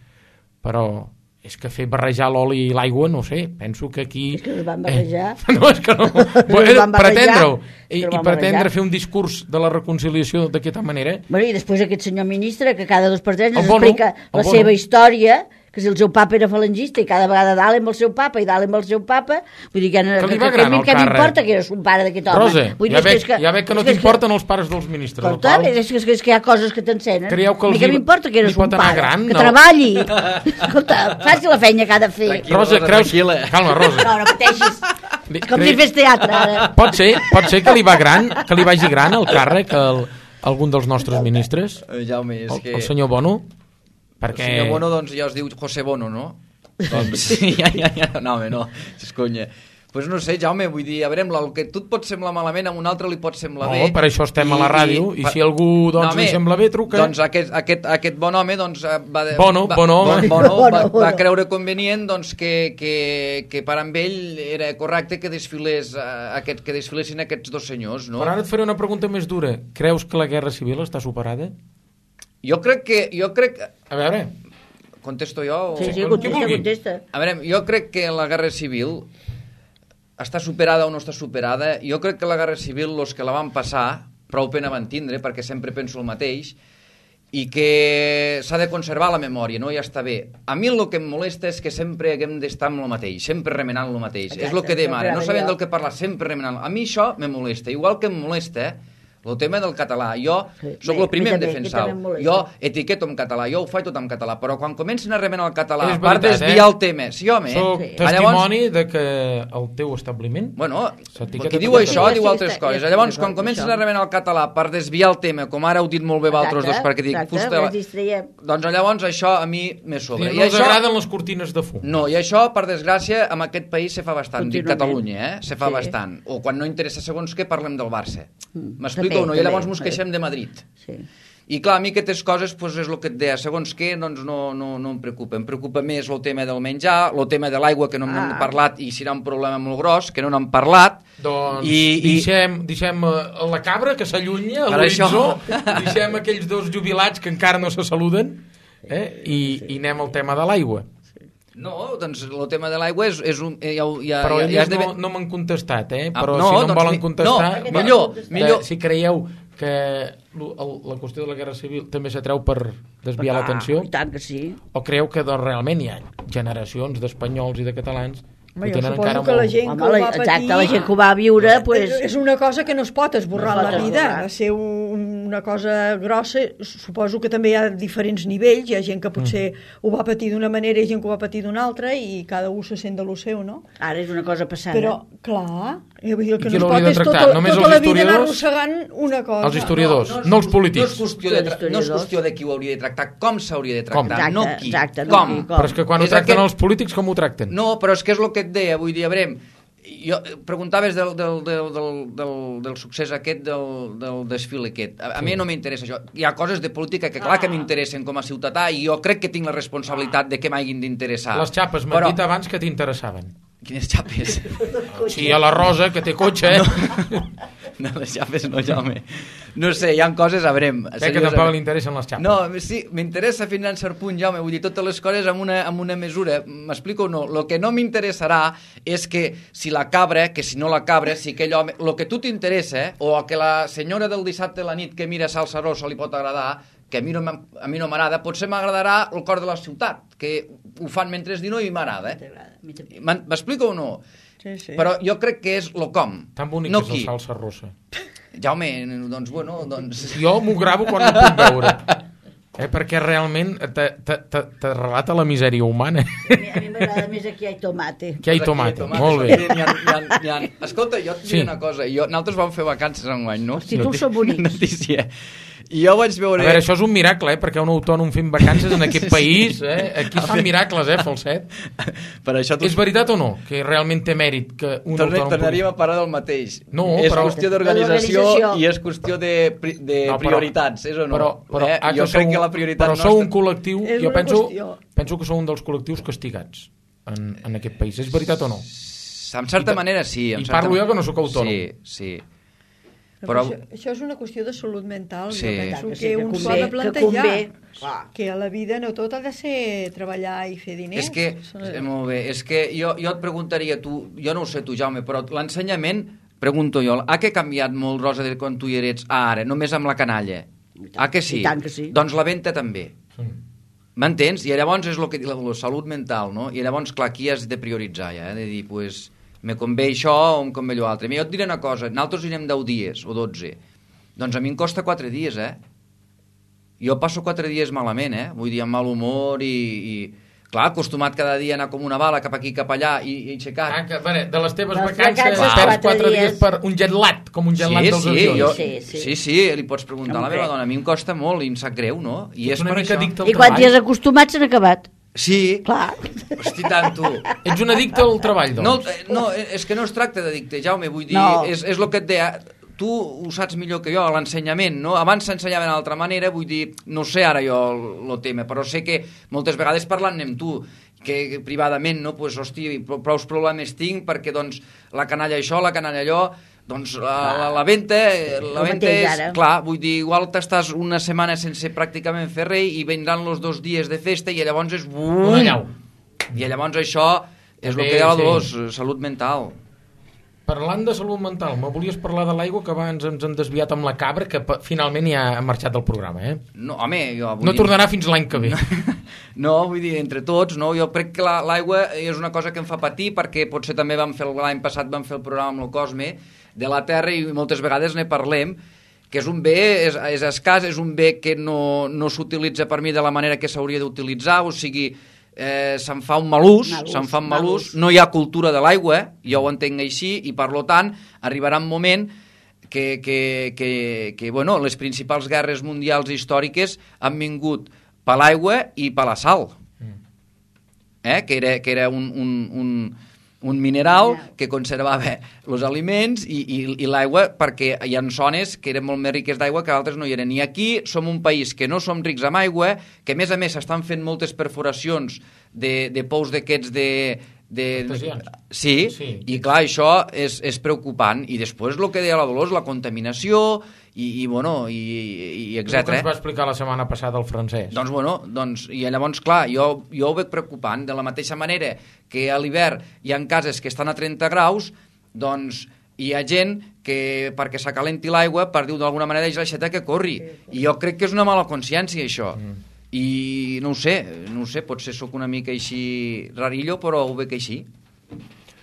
Però és que fer barrejar l'oli i l'aigua, no sé, penso que aquí... És que es van barrejar. No, és que no. Pretendre-ho. I pretendre fer un discurs de la reconciliació d'aquesta manera... Bueno, i després aquest senyor ministre, que cada 2 per 3 ens explica la seva història, que si el seu papa era falangista i cada vegada dalt amb el seu papa i dalt amb el seu papa, vull dir que m'importa que era son pare d'aquest home. Rosa, ja veig que no t'importen els pares dels ministres. Escolta, és que hi ha coses que t'encenen. Que m'importa que era son pare, que treballi. Escolta, faci la feina que ha de fer. Rosa, creus... Calma, Rosa. No pateixis. És com si fes teatre, ara. Pot ser que li vagi gran el càrrec, algun dels nostres ministres? Jaume, és que... El senyor Bono? Perquè... El senyor Bono, doncs, ja es diu José Bono, no? Doncs, ja, no, home, no, és conya. Pues no sé, Jaume, vull dir, a veure, el que tu et pot semblar malament, a un altre li pot semblar bé. No, per això estem a la ràdio, i si algú doncs, li sembla bé, truca. Doncs aquest bon home doncs, Bono va creure convenient doncs, que per amb ell era correcte que desfilessin aquests dos senyors, no? Però ara et faré una pregunta més dura. Creus que la guerra civil està superada? Jo crec que... A veure... Contesto jo? Sí, contesta. A veure, jo crec que la guerra civil està superada o no està superada. Jo crec que la guerra civil, els que la van passar, prou pena van tindre, perquè sempre penso el mateix, i que s'ha de conservar la memòria, no? Ja està bé. A mi el que em molesta és que sempre haguem d'estar amb el mateix, sempre remenant el mateix. Exacte, és el que dèiem ara, no sabem del que parlar, sempre remenant. A mi això me molesta, igual que em molesta, el tema del català. Jo sóc el primer en defensar-ho. Jo etiqueto en català, jo ho faig tot en català, però quan comencen a remenar el català per desviar el tema... Sí, home. Soc testimoni de que el teu establiment... Bueno, qui diu això diu altres coses. Llavors, quan comencen a remenar el català per desviar el tema, com ara heu dit molt bé vosaltres dos, perquè dic... Doncs llavors això a mi me sobra. No us agraden les cortines de fum. No, i això, per desgràcia, en aquest país se fa bastant. Dic Catalunya, se fa bastant. O quan no interessa segons què, parlem del Barça. M'explico o no? I llavors ens queixem de Madrid. Sí. I clar, a mi aquestes coses pues, és el que et deia, segons què doncs no em preocupa. Em preocupa més el tema del menjar, el tema de l'aigua, que no n'hem parlat i serà un problema molt gros, que no n'hem parlat. Doncs deixem la cabra que s'allunya a l'horitzó, deixem aquells dos jubilats que encara no se saluden i anem al tema de l'aigua. No, doncs el tema de l'aigua és un... Però ells no m'han contestat, però si no em volen contestar... Millor. Si creieu que la qüestió de la guerra civil també s'atreu per desviar l'atenció, tant que sí. O creu que realment hi ha generacions d'espanyols i de catalans Home, jo suposo que la gent que ho va patir... Exacte, la gent que ho va viure... És una cosa que no es pot esborrar en la vida. Va ser una cosa grossa. Suposo que també hi ha diferents nivells. Hi ha gent que potser ho va patir d'una manera i gent que ho va patir d'una altra i cada un se sent de lo seu, no? Ara és una cosa passada. Però, clar, el que no es pot és tota la vida anar arrossegant una cosa. Els historiadors, no els polítics. No és qüestió de qui ho hauria de tractar, com s'hauria de tractar, no qui. Com. Però és que quan ho tracten els polítics, com ho tracten? No, però és que és el que et deia, vull dir, a veure, jo preguntaves del succés aquest, del desfile aquest. A mi no m'interessa això. Hi ha coses de política que clar que m'interessen com a ciutadà i jo crec que tinc la responsabilitat de que m'hagin d'interessar. Les xapes, m'han dit abans que t'interessaven. Quines xapes? Sí, a la Rosa, que té cotxe. No, les xapes no, Jaume. No sé, hi ha coses, a veure... Crec que tampoc li interessen les xapes. No, sí, m'interessa fins a cert punt, Jaume, vull dir, totes les coses amb una mesura. M'explico o no? El que no m'interessarà és que si la cabra, que si no la cabra, si aquell home... El que tu t'interessa, o que la senyora del dissabte a la nit que mira Salsa Rosa li pot agradar, que a mi no m'agrada, potser m'agradarà el cor de la ciutat, que ho fan mentre dinar i m'agrada. M'explico o no? Sí. Però jo crec que és lo com. Tan bonic no és el Salsa Rosa. Jaume, doncs bueno, doncs... Jo m'ho gravo quan ho puc veure. Perquè realment te relata la misèria humana. A mi m'agrada més aquí hi ha tomate. Que hi ha tomate, molt bé. Escolta, jo et diré una cosa. Nosaltres vam fer vacances enguany, no? Els títols són bonics. Notícia. I jo vaig veure... A veure, això és un miracle, perquè un autònom fent vacances en aquest país, aquí es fan miracles, Falset. Per això és veritat o no? Que realment té mèrit que un autònom... Tornaríem a parar del mateix. No, és qüestió d'organització i és qüestió de prioritats, és o no? Jo crec que la prioritat nostra... Però sou un col·lectiu, jo penso que sou un dels col·lectius castigats en aquest país. És veritat o no? En certa manera, sí. I parlo jo que no sóc autònom. Sí. Però això és una qüestió de salut mental. Jo penso que un s'ho ha de plantejar. Que a la vida no tot ha de ser treballar i fer diners. És que, molt bé, és que jo et preguntaria, jo no ho sé tu, Jaume, però l'ensenyament, pregunto jo, ha que canviat molt, Rosa, de quan tu hi eres a ara, només amb la canalla? Que sí? I tant que sí. Doncs la venta també. M'entens? I llavors és el que diu la salut mental, no? I llavors, clar, aquí has de prioritzar, ja, de dir, pues... me convé això o em convé allò altre. Jo et diré una cosa, nosaltres anirem 10 dies o 12. Doncs a mi em costa 4 dies, Jo passo 4 dies malament, Vull dir, amb mal humor i... Clar, acostumat cada dia a anar com una bala cap aquí, cap allà i aixecat. De les teves Les vacances vacances, perds 4 4 dies per un jet lat, com un jet lat dels avions. Sí, li pots preguntar a la meva dona. A mi em costa molt i em sap greu, no? I és una per mica això. addicte al I quan treball. t'hi has acostumat s'han acabat. Sí. Clar. Hosti, tant, tu. Ets un addicte al treball, doncs. No, és que no es tracta d'addicte, Jaume, vull dir, No. és el que et deia, tu ho saps millor que jo, l'ensenyament, no? Abans s'ensenyaven d'altra manera, vull dir, no sé ara jo el tema, però sé que moltes vegades parlant-ne amb tu, que privadament, no? Pues, hosti, prou problemes tinc perquè, doncs, la canalla això, la canalla allò, doncs la venta és... Clar, vull dir, igual t'estàs una setmana sense pràcticament fer res i vindran els 2 dies de festa i llavors és... Una llau. I llavors això és el que deia la Dolors, salut mental. Parlant de salut mental, me volies parlar de l'aigua, que abans ens hem desviat amb la cabra, que finalment ja ha marxat del programa, eh? No, home, jo... No tornarà fins l'any que ve. No, vull dir, entre tots, no? Jo crec que l'aigua és una cosa que em fa patir, perquè potser també l'any passat vam fer el programa amb el Cosme de la Terra i moltes vegades ne parlem, que és un bé, és escàs, és un bé que no s'utilitza per mi de la manera que s'hauria d'utilitzar, o sigui... se'n fa un mal ús, no hi ha cultura de l'aigua, jo ho entenc així, i per tant arribarà un moment que bueno, les principals guerres mundials històriques han vingut per l'aigua i per la sal, que era un mineral que conservava els aliments i l'aigua, perquè hi ha zones que eren molt més riques d'aigua que altres no hi eren. I aquí som un país que no som rics amb aigua, que a més s'estan fent moltes perforacions de pous d'aquests Sí, i clar, això és preocupant. I després el que deia la Dolors, la contaminació i etc. Que ens va explicar la setmana passada el francès. Doncs, i llavors, clar, jo ho veig preocupant. De la mateixa manera que a l'hivern hi ha cases que estan a 30 graus, doncs hi ha gent que perquè s'acalenti l'aigua, per dir-ho d'alguna manera, és l'aixeta que corri. I jo crec que és una mala consciència, això. I no ho sé, potser sóc una mica així rarillo, però ho veig així.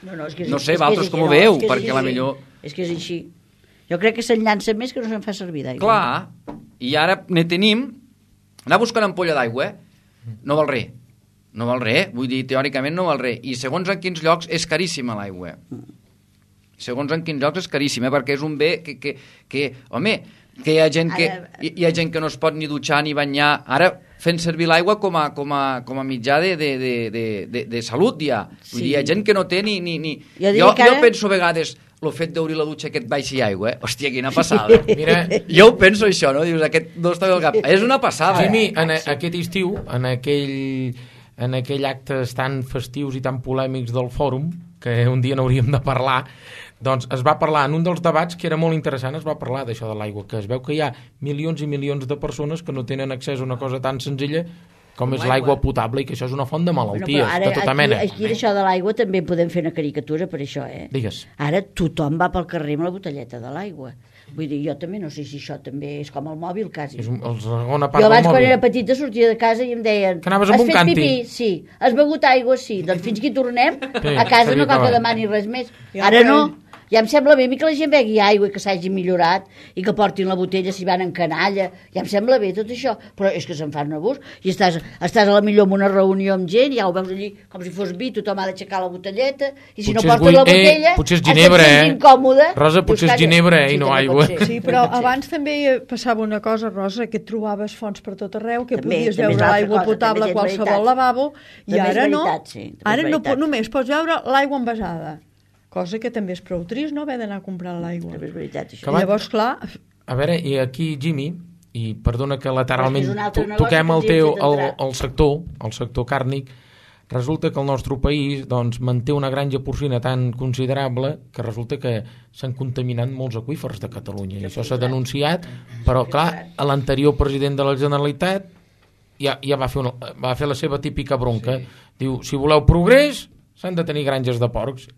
No sé, vosaltres com ho veu, perquè la millor... És que és així. Jo crec que se'n llança més que no se'n fa servir d'aigua. Clar, i ara ne tenim... Anar buscant ampolla d'aigua no val res. No val res, vull dir, teòricament no val res. I segons en quins llocs és caríssima l'aigua. Segons en quins llocs és caríssima, perquè és un bé que home, que hi ha gent que no es pot ni dutxar ni banyar. Ara fent servir l'aigua com a mitjà de salut, ja. Vull dir, hi ha gent que no té ni... Jo penso a vegades el fet d'obrir la dutxa que et baixi aigua, hòstia, quina passada. Mira, jo ho penso això, no? Dius, aquest no està bé al cap. És una passada. Jimmy, aquest estiu, en aquell actes tan festius i tan polèmics del fòrum, que un dia n'hauríem de parlar, doncs es va parlar, en un dels debats que era molt interessant, es va parlar d'això de l'aigua, que es veu que hi ha milions i milions de persones que no tenen accés a una cosa tan senzilla com és l'aigua potable, i que això és una font de malalties, de tota mena. Aquí d'això de l'aigua també podem fer una caricatura per això, Digues. Ara tothom va pel carrer amb la botelleta de l'aigua. Vull dir, jo també no sé si això també és com el mòbil, quasi. És la segona part jo abans, del mòbil. quan era petita, sortia de casa i em deien... Que anaves amb un càntir? Pipí? Sí. Has begut aigua? Sí. Doncs fins que hi tornem, a casa no cal que demani res més. Ara no. Ja em sembla bé que la gent begui aigua i que s'hagi millorat i que portin la botella si van en canalla. Ja em sembla bé tot això, però és que se'n fan un abús. I estàs a la millor en una reunió amb gent, ja ho veus allí com si fos vi, tothom ha d'aixecar la botelleta, i si no portes la botella, potser és ginebra, incòmode. Rosa, potser és ginebra i no aigua. Sí, però abans també passava una cosa, Rosa, que et trobaves fonts per tot arreu, que podies veure l'aigua potable a qualsevol lavabo, i ara no. Ara només pots veure l'aigua envasada. Cosa que també és prou trist, no?, haver d'anar a comprar l'aigua. És veritat, això. Llavors, clar... A veure, i aquí, Jimmy, i perdona que lateralment toquem el sector càrnic, resulta que el nostre país doncs, manté una granja porcina tan considerable que resulta que s'han contaminat molts aqüífers de Catalunya. I això s'ha denunciat, però, clar, l'anterior president de la Generalitat ja va fer la seva típica bronca. Diu, si voleu progrés, s'han de tenir granges de porcs.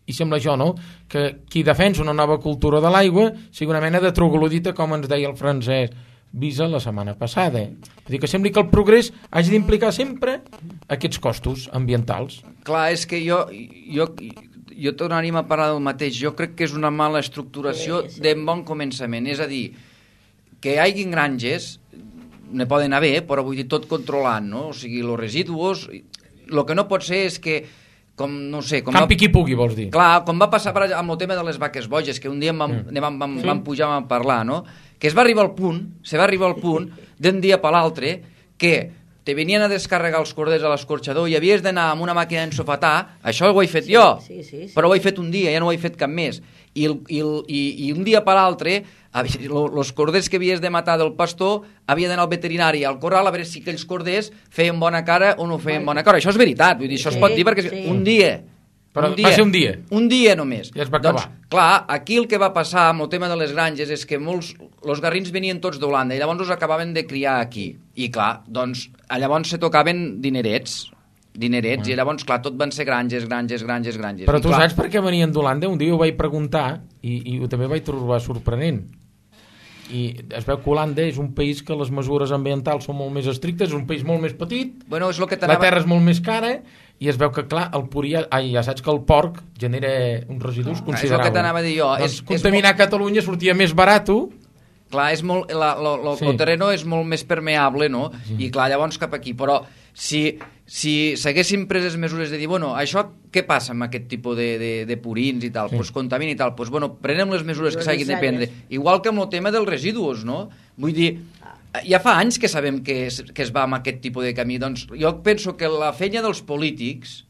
I sembla això, no?, que qui defensa una nova cultura de l'aigua sigui una mena de troglodita, com ens deia el francès Visa la setmana passada. Vull dir que sembli que el progrés hagi d'implicar sempre aquests costos ambientals. Clar, és que jo tornaríem a parlar del mateix. Jo crec que és una mala estructuració de bon començament. És a dir, que hi hagi granges ne poden haver, però vull dir tot controlant, no? O sigui, els residus... El que no pot ser és que, no sé... Campi qui pugui, vols dir. Clar, com va passar amb el tema de les vaques boges, que un dia vam pujar a parlar, no? Que se va arribar al punt, d'un dia per l'altre, que te venien a descarregar els corders a l'escorxador i havies d'anar amb una màquina d'ensofatar, això ho he fet jo, però ho he fet un dia, ja no ho he fet cap més. I un dia per l'altre, els corders que havies de matar del pastor havia d'anar al veterinari, al corral, a veure si aquells corders feien bona cara o no feien bona cara. Això és veritat, vull dir, això es pot dir perquè un dia... Però va ser un dia. Un dia només. I es va acabar. Doncs, clar, aquí el que va passar amb el tema de les granges és que els garrins venien tots d'Holanda i llavors els acabaven de criar aquí. I clar, doncs, llavors se tocaven dinerets, i llavors, clar, tot van ser granges. Però tu saps per què venien d'Holanda? Un dia ho vaig preguntar i també vaig trobar sorprenent. I es veu que Holanda és un país que les mesures ambientals són molt més estrictes, és un país molt més petit, bueno, és lo que la terra és molt més cara, i es veu que, clar, ja saps que el porc genera uns residus considerables. És el que t'anava a dir jo. Doncs contaminar Catalunya sortia més barat. Clar, el terreno és molt més permeable, no? I clar, llavors cap aquí. Però si s'haguessin pres les mesures de dir, bueno, això què passa amb aquest tipus de purins i tal? Doncs contamina i tal. Doncs, bueno, prenem les mesures que s'hagin de prendre. Igual que amb el tema dels residus, no? Vull dir, ja fa anys que sabem que es va amb aquest tipus de camí. Doncs jo penso que la feina dels polítics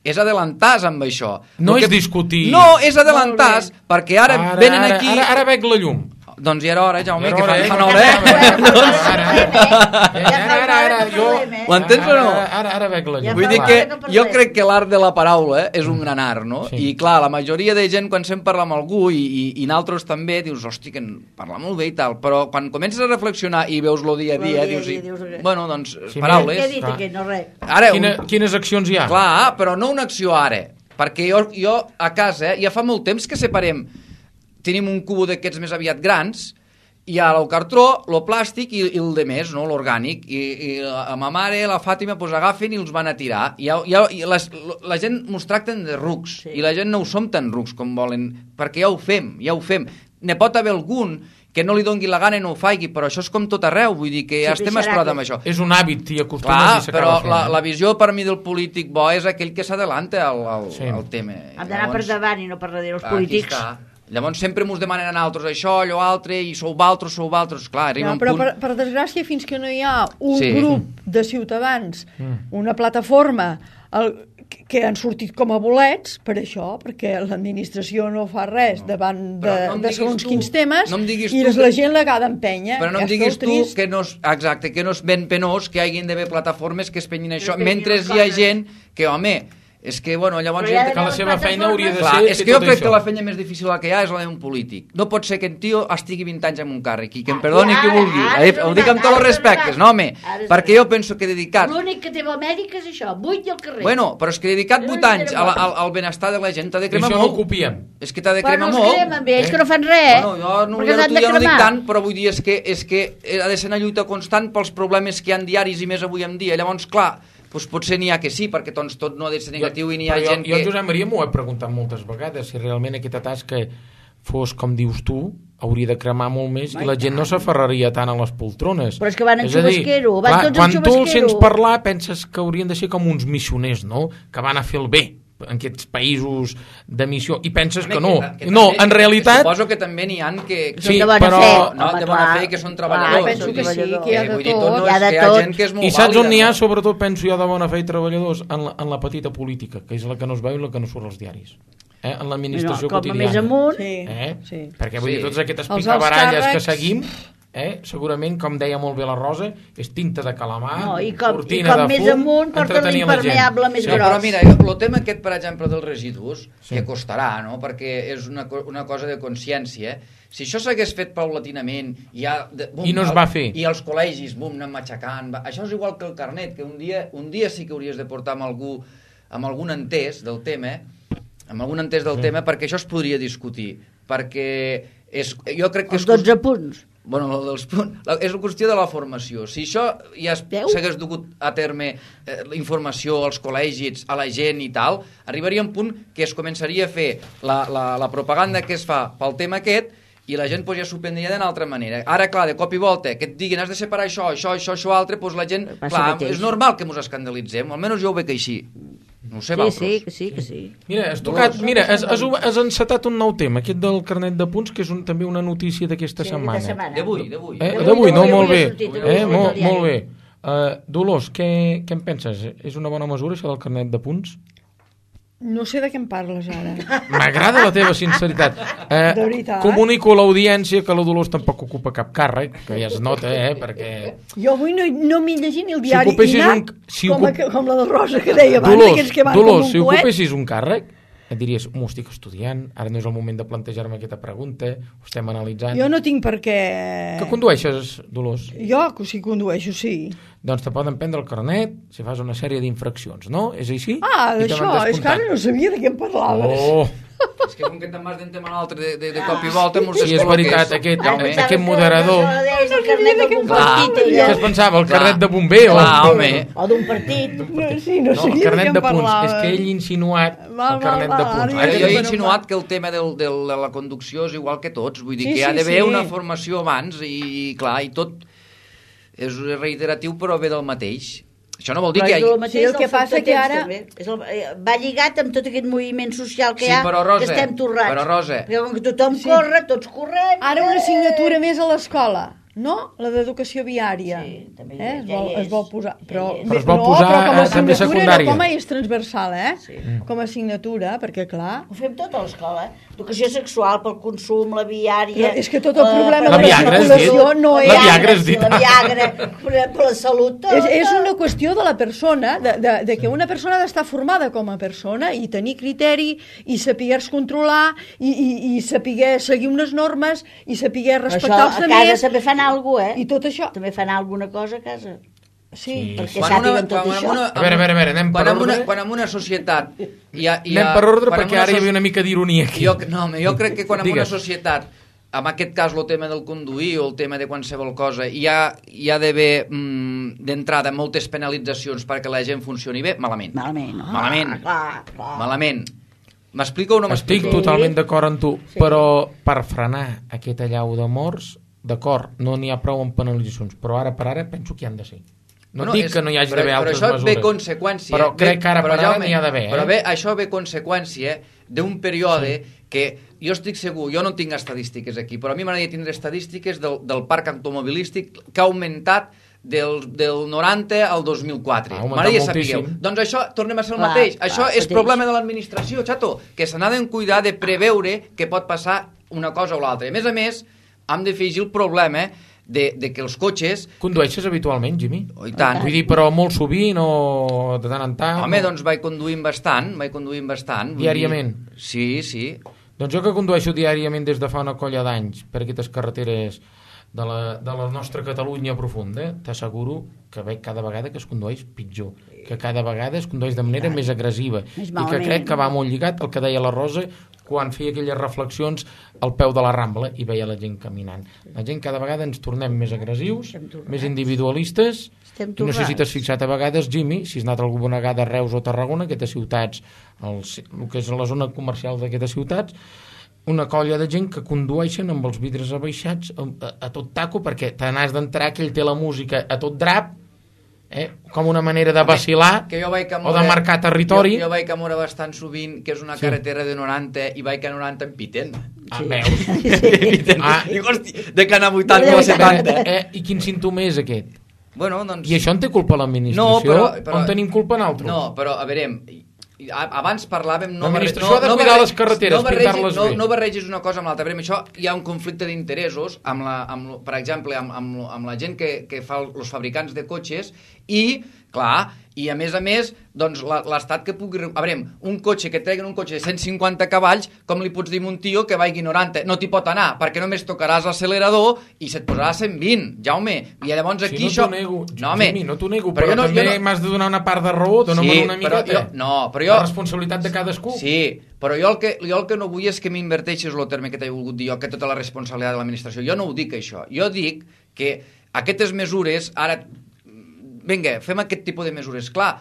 és adelantar-se amb això. No és discutir. No, és adelantar-se, perquè ara venen aquí... Ara veig la llum. Doncs ja era hora, Jaume, que fa una hora, Ara, l'entens o no? Ara veig la llum. Vull dir que jo crec que l'art de la paraula és un gran art, no? I clar, la majoria de gent, quan se'n parla amb algú, i naltros també, dius, hosti, que parla molt bé i tal, però quan comences a reflexionar i veus lo dia a dia, dius, bueno, doncs, paraules... Què he dit aquí? No res. Quines accions hi ha? Clar, però no una acció ara, perquè jo a casa ja fa molt temps que separem. Tenim un cubo d'aquests més aviat grans, i el cartró, el plàstic i el de més, no? L'orgànic. I la ma mare, la Fàtima, doncs agafen i els van a tirar. I la gent mos tracten de rucs, i la gent no ho som tan rucs com volen, perquè ja ho fem. Ne pot haver algun que no li dongui la gana i no ho faci, però això és com tot arreu, vull dir que ja estem esperat amb això. És un hàbit, t'hi acostumes i s'acaba fent. Però la visió per mi del polític bo és aquell que s'adelanta al tema. Hem d'anar per davant i no per darrere els polítics. Aquí està. Llavors sempre mos demanen a nosaltres això, allò altre, i sou valtros. Clar, arriba un punt... Però per desgràcia, fins que no hi ha un grup de ciutadans, una plataforma que han sortit com a bolets per això, perquè l'administració no fa res davant de segons quins temes, i la gent l'ha d'empènyer. Però no em diguis tu que no és ben penós que hi hagin d'haver plataformes que es penyin això, mentre hi ha gent que, home... És que, bueno, llavors... Que la seva feina hauria de ser... És que jo crec que la feina més difícil que hi ha és la d'un polític. No pot ser que en tio estigui 20 anys en un càrrec i que em perdoni qui vulgui. Ho dic amb tots els respectes, no, home? Perquè jo penso que dedicat... L'únic que té l'Amèrica és això, buit i al carrer. Bueno, però és que dedicat 8 anys al benestar de la gent t'ha de cremar molt. Això no ho copiem. És que t'ha de cremar molt. Però no es cremen bé, ells que no fan res. Bueno, jo ja no dic tant, però vull dir, és que ha de ser una lluita constant pels problemes que hi ha diaris i més avui en dia. Llavors, clar, doncs potser n'hi ha que sí, perquè doncs, tot no ha de ser negatiu i n'hi ha gent que... Jo, Josep Maria, m'ho he preguntat moltes vegades, si realment aquesta tasca fos, com dius tu, hauria de cremar molt més i la gent no s'aferraria tant a les poltrones. Però és que van en xubasquero, van tots en xubasquero. Quan tu els sents parlar, penses que haurien de ser com uns missioners, no?, que van a fer el bé en aquests països de missió, i penses que no. No, en realitat... Suposo que també n'hi ha que... Sí, però... No, de bona fe, que són treballadors. Penso que sí, que hi ha de tot. Hi ha de tot. I saps on n'hi ha, sobretot, penso jo, de bona fe i treballadors? En la petita política, que és la que no es veu i la que no surt als diaris. En l'administració quotidiana. Com a més amunt... Perquè vull dir, totes aquestes picabaralles que seguim... segurament, com deia molt bé la Rosa, és tinta de calamar, cortina de fum, més amunt porten l'impermeable més gros. Però mira, el tema aquest, per exemple, dels residus, que costarà, no?, perquè és una cosa de consciència, si això s'hagués fet paulatinament i no es va fer, i els col·legis anem matxacant, això és igual que el carnet, que un dia sí que hauries de portar amb algun entès del tema, perquè això es podria discutir, perquè jo crec que els 12 punts. Bueno, és la qüestió de la formació. Si això ja s'hagués dugut a terme informació als col·legis, a la gent i tal, arribaria un punt que es començaria a fer la propaganda que es fa pel tema aquest i la gent pues, ja s'ho prendria d'una altra manera. Ara, clar, de cop i volta, que et diguin has de separar això altre, doncs la gent, clar, és normal que mos escandalitzem, almenys jo ho veig així. No ho sé, que sí. Mira, has encetat un nou tema, aquest del carnet de punts, que és també una notícia d'aquesta setmana. D'avui. D'avui, no, molt bé. Molt bé. Dolors, què en penses? És una bona mesura, això del carnet de punts? No sé de què em parles ara. M'agrada la teva sinceritat. De veritat. Comunico a l'audiència que la Dolors tampoc ocupa cap càrrec, que ja es nota, perquè... Jo avui no m'he llegit ni el diari com la del Rosa que deia abans. Dolors, si ocupessis un càrrec, et diries, estic estudiant, ara no és el moment de plantejar-me aquesta pregunta, ho estem analitzant... Jo no tinc per què... Que condueixes, Dolors? Jo sí condueixo, sí. Doncs te poden prendre el carnet si fas una sèrie d'infraccions, no? És així? Ah, d'això, és que ara no sabia de què em parlaves. Oh! És que com que te'n vas d'un tema a l'altre de cop i volta... Sí, és veritat, aquest moderador... El carnet d'un partit. Què es pensava, el carnet de bomber? O d'un partit. Sí, no sabia el carnet de què de em punts. parlaves. És que ell ha insinuat el carnet de punts. Ara jo he insinuat que el tema de la conducció és igual que tots. Vull dir que hi ha d'haver una formació abans i, clar, i tot és reiteratiu però ve del mateix. Això no vol dir que hi hagi... Sí, el que passa que ara... Va lligat amb tot aquest moviment social que hi ha, que estem torrats. Però, Rosa... Perquè com que tothom corre, tots correm... Ara una assignatura més a l'escola, no? La d'educació viària. Sí, també es vol posar. Però es vol posar també secundària. Com a és transversal, com a assignatura, perquè clar... Ho fem tot a l'escola. Educació sexual, pel consum, la viària... És que tot el problema de la circulació no és... La Viagra has dit. La Viagra, per la salut... És una qüestió de la persona, de que una persona ha d'estar formada com a persona i tenir criteri i saber-se controlar i saber seguir unes normes i saber respectar els altres. A casa també fan alguna cosa, I tot això. També fan alguna cosa a casa. Sí, perquè sàpiguen tot això. A veure, anem per ordre. Quan en una societat... Anem per ordre perquè ara hi havia una mica d'ironia aquí. Jo crec que quan en una societat, en aquest cas el tema del conduir o el tema de qualsevol cosa, hi ha d'haver d'entrada moltes penalitzacions perquè la gent funcioni bé, malament. Malament. M'explico o no m'explico? Estic totalment d'acord amb tu, però per frenar aquest allau de morts, d'acord, no n'hi ha prou amb penalitzacions, però ara per ara penso que hi han de ser. No dic que no hi hagi d'haver altres mesures. Però això ve conseqüència... Però crec que ara per ara n'hi ha d'haver. Però això ve conseqüència d'un període que jo estic segur, jo no tinc estadístiques aquí, però a mi m'agradaria tindre estadístiques del parc automobilístic que ha augmentat del 90 al 2004. M'agradaria saber. Doncs això, tornem a ser el mateix. Això és problema de l'administració, xato, que se n'ha de cuidar de preveure que pot passar una cosa o l'altra. A més, hem de afegir el problema de que els cotxes... Condueixes habitualment, Jimmy? Oh, i tant. Vull dir, però molt sovint o de tant en tant? Home, doncs vaig conduint bastant. Diàriament? Sí. Doncs jo que condueixo diàriament des de fa una colla d'anys per aquestes carreteres de la nostra Catalunya profunda, t'asseguro que veig cada vegada que es condueix pitjor, que cada vegada es condueix de manera més agressiva i que crec que va molt lligat el que deia la Rosa quan feia aquelles reflexions al peu de la Rambla i veia la gent caminant. La gent cada vegada ens tornem més agressius, més individualistes, i no sé si t'has fixat a vegades, Jimmy, si has anat alguna vegada a Reus o Tarragona, aquestes ciutats, el que és la zona comercial d'aquestes ciutats, una colla de gent que condueixen amb els vidres abaixats a tot taco perquè te n'has d'entrar que ell té la música a tot drap, com una manera de vacilar o de marcar territori. Jo vaig a Mora bastant sovint, que és una carretera de 90 i vaig a 90 en Piten. Veus? Dic, hosti, de que anar a 80 o a 70. I quin símptoma és aquest? Bueno, doncs... I això en té culpa l'administració? No, on tenim culpa nosaltres? No, però a veure, abans parlàvem... L'administració ha de cuidar les carreteres, pintar-les bé. No barregis una cosa amb l'altra. Això hi ha un conflicte d'interessos, per exemple, amb la gent que fa els fabricants de cotxes i, clar, i a més, doncs l'estat que pugui... A veure, un cotxe que treguen un cotxe de 150 cavalls, com li pots dir a un tio que vagi 90? No t'hi pot anar, perquè només tocaràs l'accelerador i se't posarà a 120, Jaume. I llavors aquí això... No t'ho nego, però també m'has de donar una part de raó, dona-me una miqueta. Però jo... La responsabilitat de cadascú. Sí, però jo el que no vull és que m'inverteixis el terme que t'he volgut dir jo, que tota la responsabilitat de l'administració. Jo no ho dic, això. Jo dic que aquestes mesures, ara... Vinga, fem aquest tipus de mesures. Clar,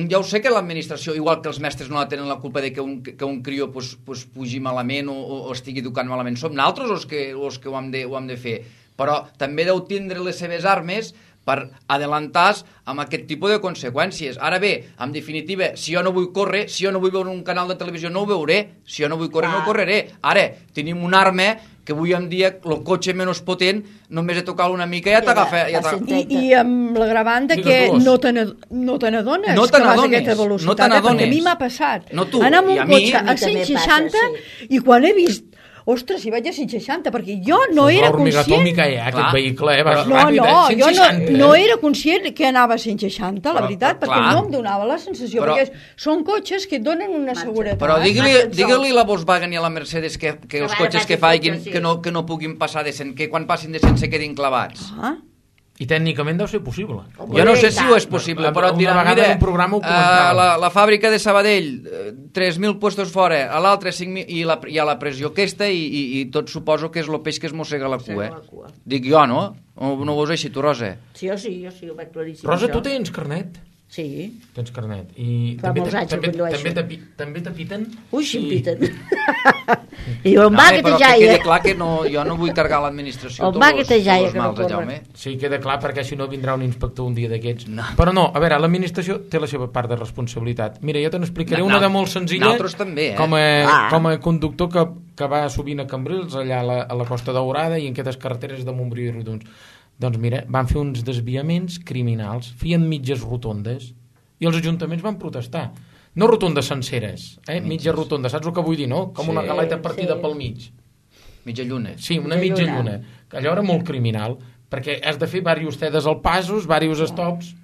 ja ho sé que l'administració, igual que els mestres no la tenen la culpa de que un crió pugi malament o estigui educant malament. Som nosaltres els que ho hem de fer. Però també deu tindre les seves armes per adelantar amb aquest tipus de conseqüències. Ara bé, en definitiva, si jo no vull córrer, si jo no vull veure un canal de televisió, no ho veuré. Si jo no vull córrer, no correré. Ara, tenim un arma que avui en dia el cotxe menys potent només he tocat una mica i ja t'agafa. I amb l'agravant que no te n'adones que vas a aquesta velocitat, perquè a mi m'ha passat. Anar amb un cotxe a 160 i quan he vist ostres, si vaig a 160, perquè jo no era conscient... Atòmica, aquest vehicle, vas ràpid, jo no era conscient que anava a 160, la veritat, perquè no em donava la sensació, perquè són cotxes que et donen una seguretat. Però digue-li a la Volkswagen i a la Mercedes que els cotxes que facin que no puguin passar de 100, que quan passin de 100 se quedin clavats. I tècnicament deu ser possible. Jo no sé si ho és possible, però et diran, mira, la fàbrica de Sabadell, 3.000 puestos fora, a l'altre 5.000, i a la pressió aquesta, i tot suposo que és el peix que es mossega la cua. Dic jo, no? O no ho veus així, tu, Rosa? Sí, jo sí, ho veig claríssim. Rosa, tu tens carnet? Sí. Tens carnet. I fa molts anys que condueixo. També t'apiten? Ui, sí, em piten. I diu, on va que te jaia? Però que quede clar que jo no vull cargar l'administració on va que te jaia, que no corre. Sí, queda clar, perquè si no vindrà un inspector un dia d'aquests. Però no, a veure, l'administració té la seva part de responsabilitat. Mira, jo te n'explicaré una de molt senzilla. Nosaltres també, com a conductor que va sovint a Cambrils, allà a la Costa Daurada i en aquestes carreteres de Montbrió i Riudoms. Doncs mira, van fer uns desviaments criminals, feien mitges rotondes i els ajuntaments van protestar. No rotondes senceres, mitja rotonda, saps el que vull dir, no? Com una galeta partida pel mig. Mitja lluna. Sí, una mitja lluna. Allò era molt criminal, perquè has de fer diversos cedes al passos, diversos stops,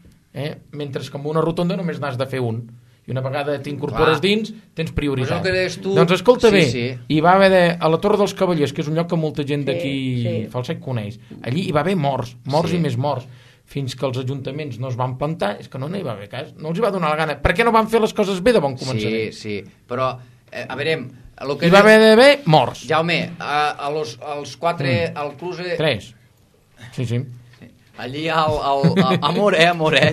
mentre que amb una rotonda només n'has de fer un. I una vegada t'incorpores dins, tens prioritat. Doncs escolta bé, hi va haver a la Torre dels Cavallers, que és un lloc que molta gent d'aquí Falset coneix, allí hi va haver morts i més morts, fins que els ajuntaments no es van plantar, és que no n'hi va haver cas, no els hi va donar la gana. Per què no van fer les coses bé de bon començament? Sí, però, a veure... Hi va haver morts. Jaume, als 4, al Cluse... 3. Sí. Allí amor,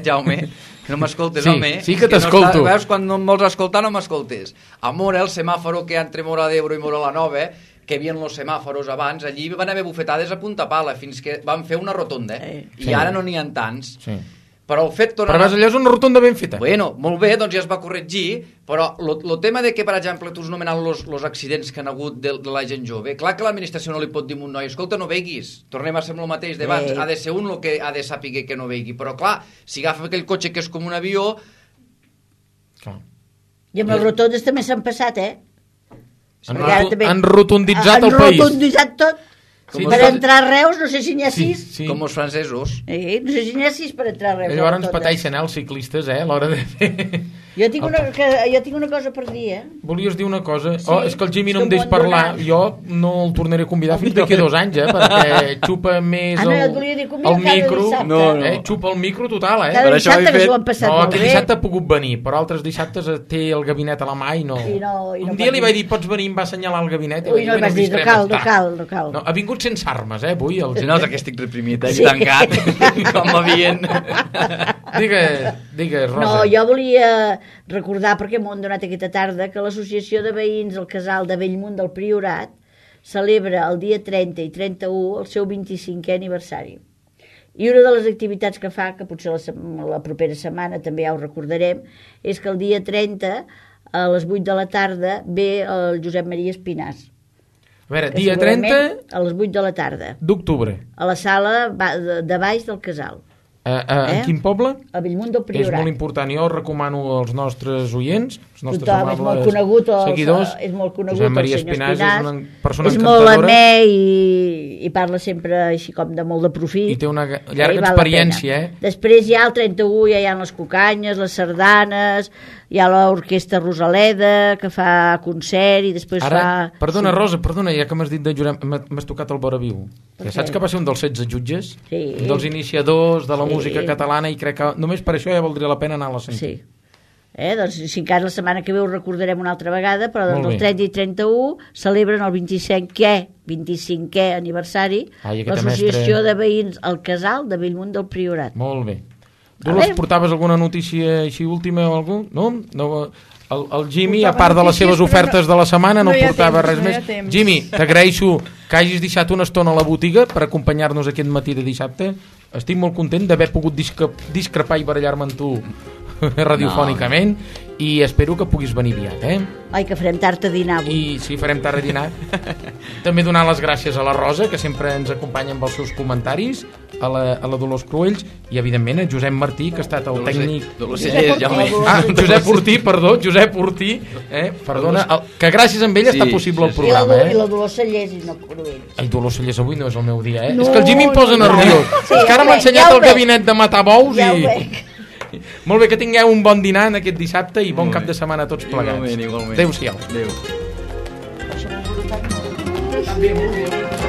Jaume... Que no m'escoltes, home. Sí que t'escolto. Veus, quan no em vols escoltar, no m'escoltes. A Mora, el semàforo que hi ha entre Mora d'Ebre i Mora la Nova, que hi havia els semàforos abans, allí van haver bufetades a punta pala, fins que van fer una rotonda. I ara no n'hi ha tants. Sí. Però el fet... Però allò és una rotonda ben feta. Bueno, molt bé, doncs ja es va corregir, però el tema de que, per exemple, tu has nomenat els accidents que han hagut de la gent jove, clar que l'administració no li pot dir a un noi, escolta, no veguis, tornem a ser amb el mateix d'abans, ha de ser un el que ha de saber que no vegui, però clar, si agafa aquell cotxe que és com un avió... I amb les rotondes també s'han passat, Han rotonditzat el país. Han rotonditzat tot. Per entrar a Reus, no sé si n'hi ha 6. Com els francesos. No sé si n'hi ha 6 per entrar a Reus. Llavors ens pateixen els ciclistes, a l'hora de fer... Jo tinc una cosa per dir, Volies dir una cosa? És que el Jimmy no em deix parlar. Jo no el tornaré a convidar fins d'aquí 2 anys, perquè xupa més el micro. Xupa el micro total, Cada dissabte que s'ho han passat molt bé. Aquest dissabte ha pogut venir, però altres dissabtes té el gabinet a la mà i no... Un dia li vaig dir, pots venir, em va assenyalar el gabinet. Ui, no li vaig dir, no cal. Ha vingut sense armes, avui. Si no, és que estic reprimit, tancat, com m'havien... Digues, Rosa. No, jo volia recordar, perquè m'ho han donat aquesta tarda, que l'Associació de Veïns del Casal de Bellmunt del Priorat celebra el dia 30 i 31 el seu 25è aniversari. I una de les activitats que fa, que potser la propera setmana també ja ho recordarem, és que el dia 30 a les 8 de la tarda ve el Josep Maria Espinàs. A veure, dia 30... A les 8 de la tarda. D'octubre. A la sala de baix del Casal. En quin poble? A Bellmunt del Priorat. És molt important, jo recomano als nostres oients, als nostres seguidors. És molt conegut Josep Maria Espinàs, és una persona encantadora. És molt amè i parla sempre així com de molt de profit. I té una llarga experiència, Després hi ha el 31, ja hi ha les cucanyes, les sardanes, hi ha l'orquestra Rosaleda, que fa concert i després fa... Perdona, Rosa, ja que m'has dit de jurar, m'has tocat el vora viu. Ja saps que va ser un dels 16 jutges? Sí. Un dels iniciadors de la música catalana i crec que només per això ja valdria la pena anar a la sentir. Sí. Doncs si encara la setmana que ve ho recordarem una altra vegada, però el 30 i 31 celebren el 25è aniversari l'Associació de Veïns al Casal de Bellmunt del Priorat. Molt bé. Dolors, portaves alguna notícia així última o algú? No? El Jimmy, a part de les seves ofertes de la setmana, no portava res més. Jimmy, t'agraeixo que hagis deixat una estona a la botiga per acompanyar-nos aquest matí de dissabte. Estic molt content d'haver pogut discrepar i barallar-me amb tu radiofònicament i espero que puguis venir aviat, Ai, que farem tard a dinar avui. I sí, farem tard a dinar. També donar les gràcies a la Rosa, que sempre ens acompanya amb els seus comentaris, a la Dolors Cruells i evidentment a Josep Martí, que ha estat el tècnic... Josep Ortí, perdona, que gràcies a ell està possible el programa. I la Dolors Cellers i no Cruells. El Dolors Cellers avui no és el meu dia, És que el Jimmy em posa nerviós. És que ara m'ha ensenyat el gabinet de matar bous i... Molt bé, que tingueu un bon dinar en aquest dissabte i bon cap de setmana a tots plegats. Igualment. Adéu-siau. Adéu. També, molt bé.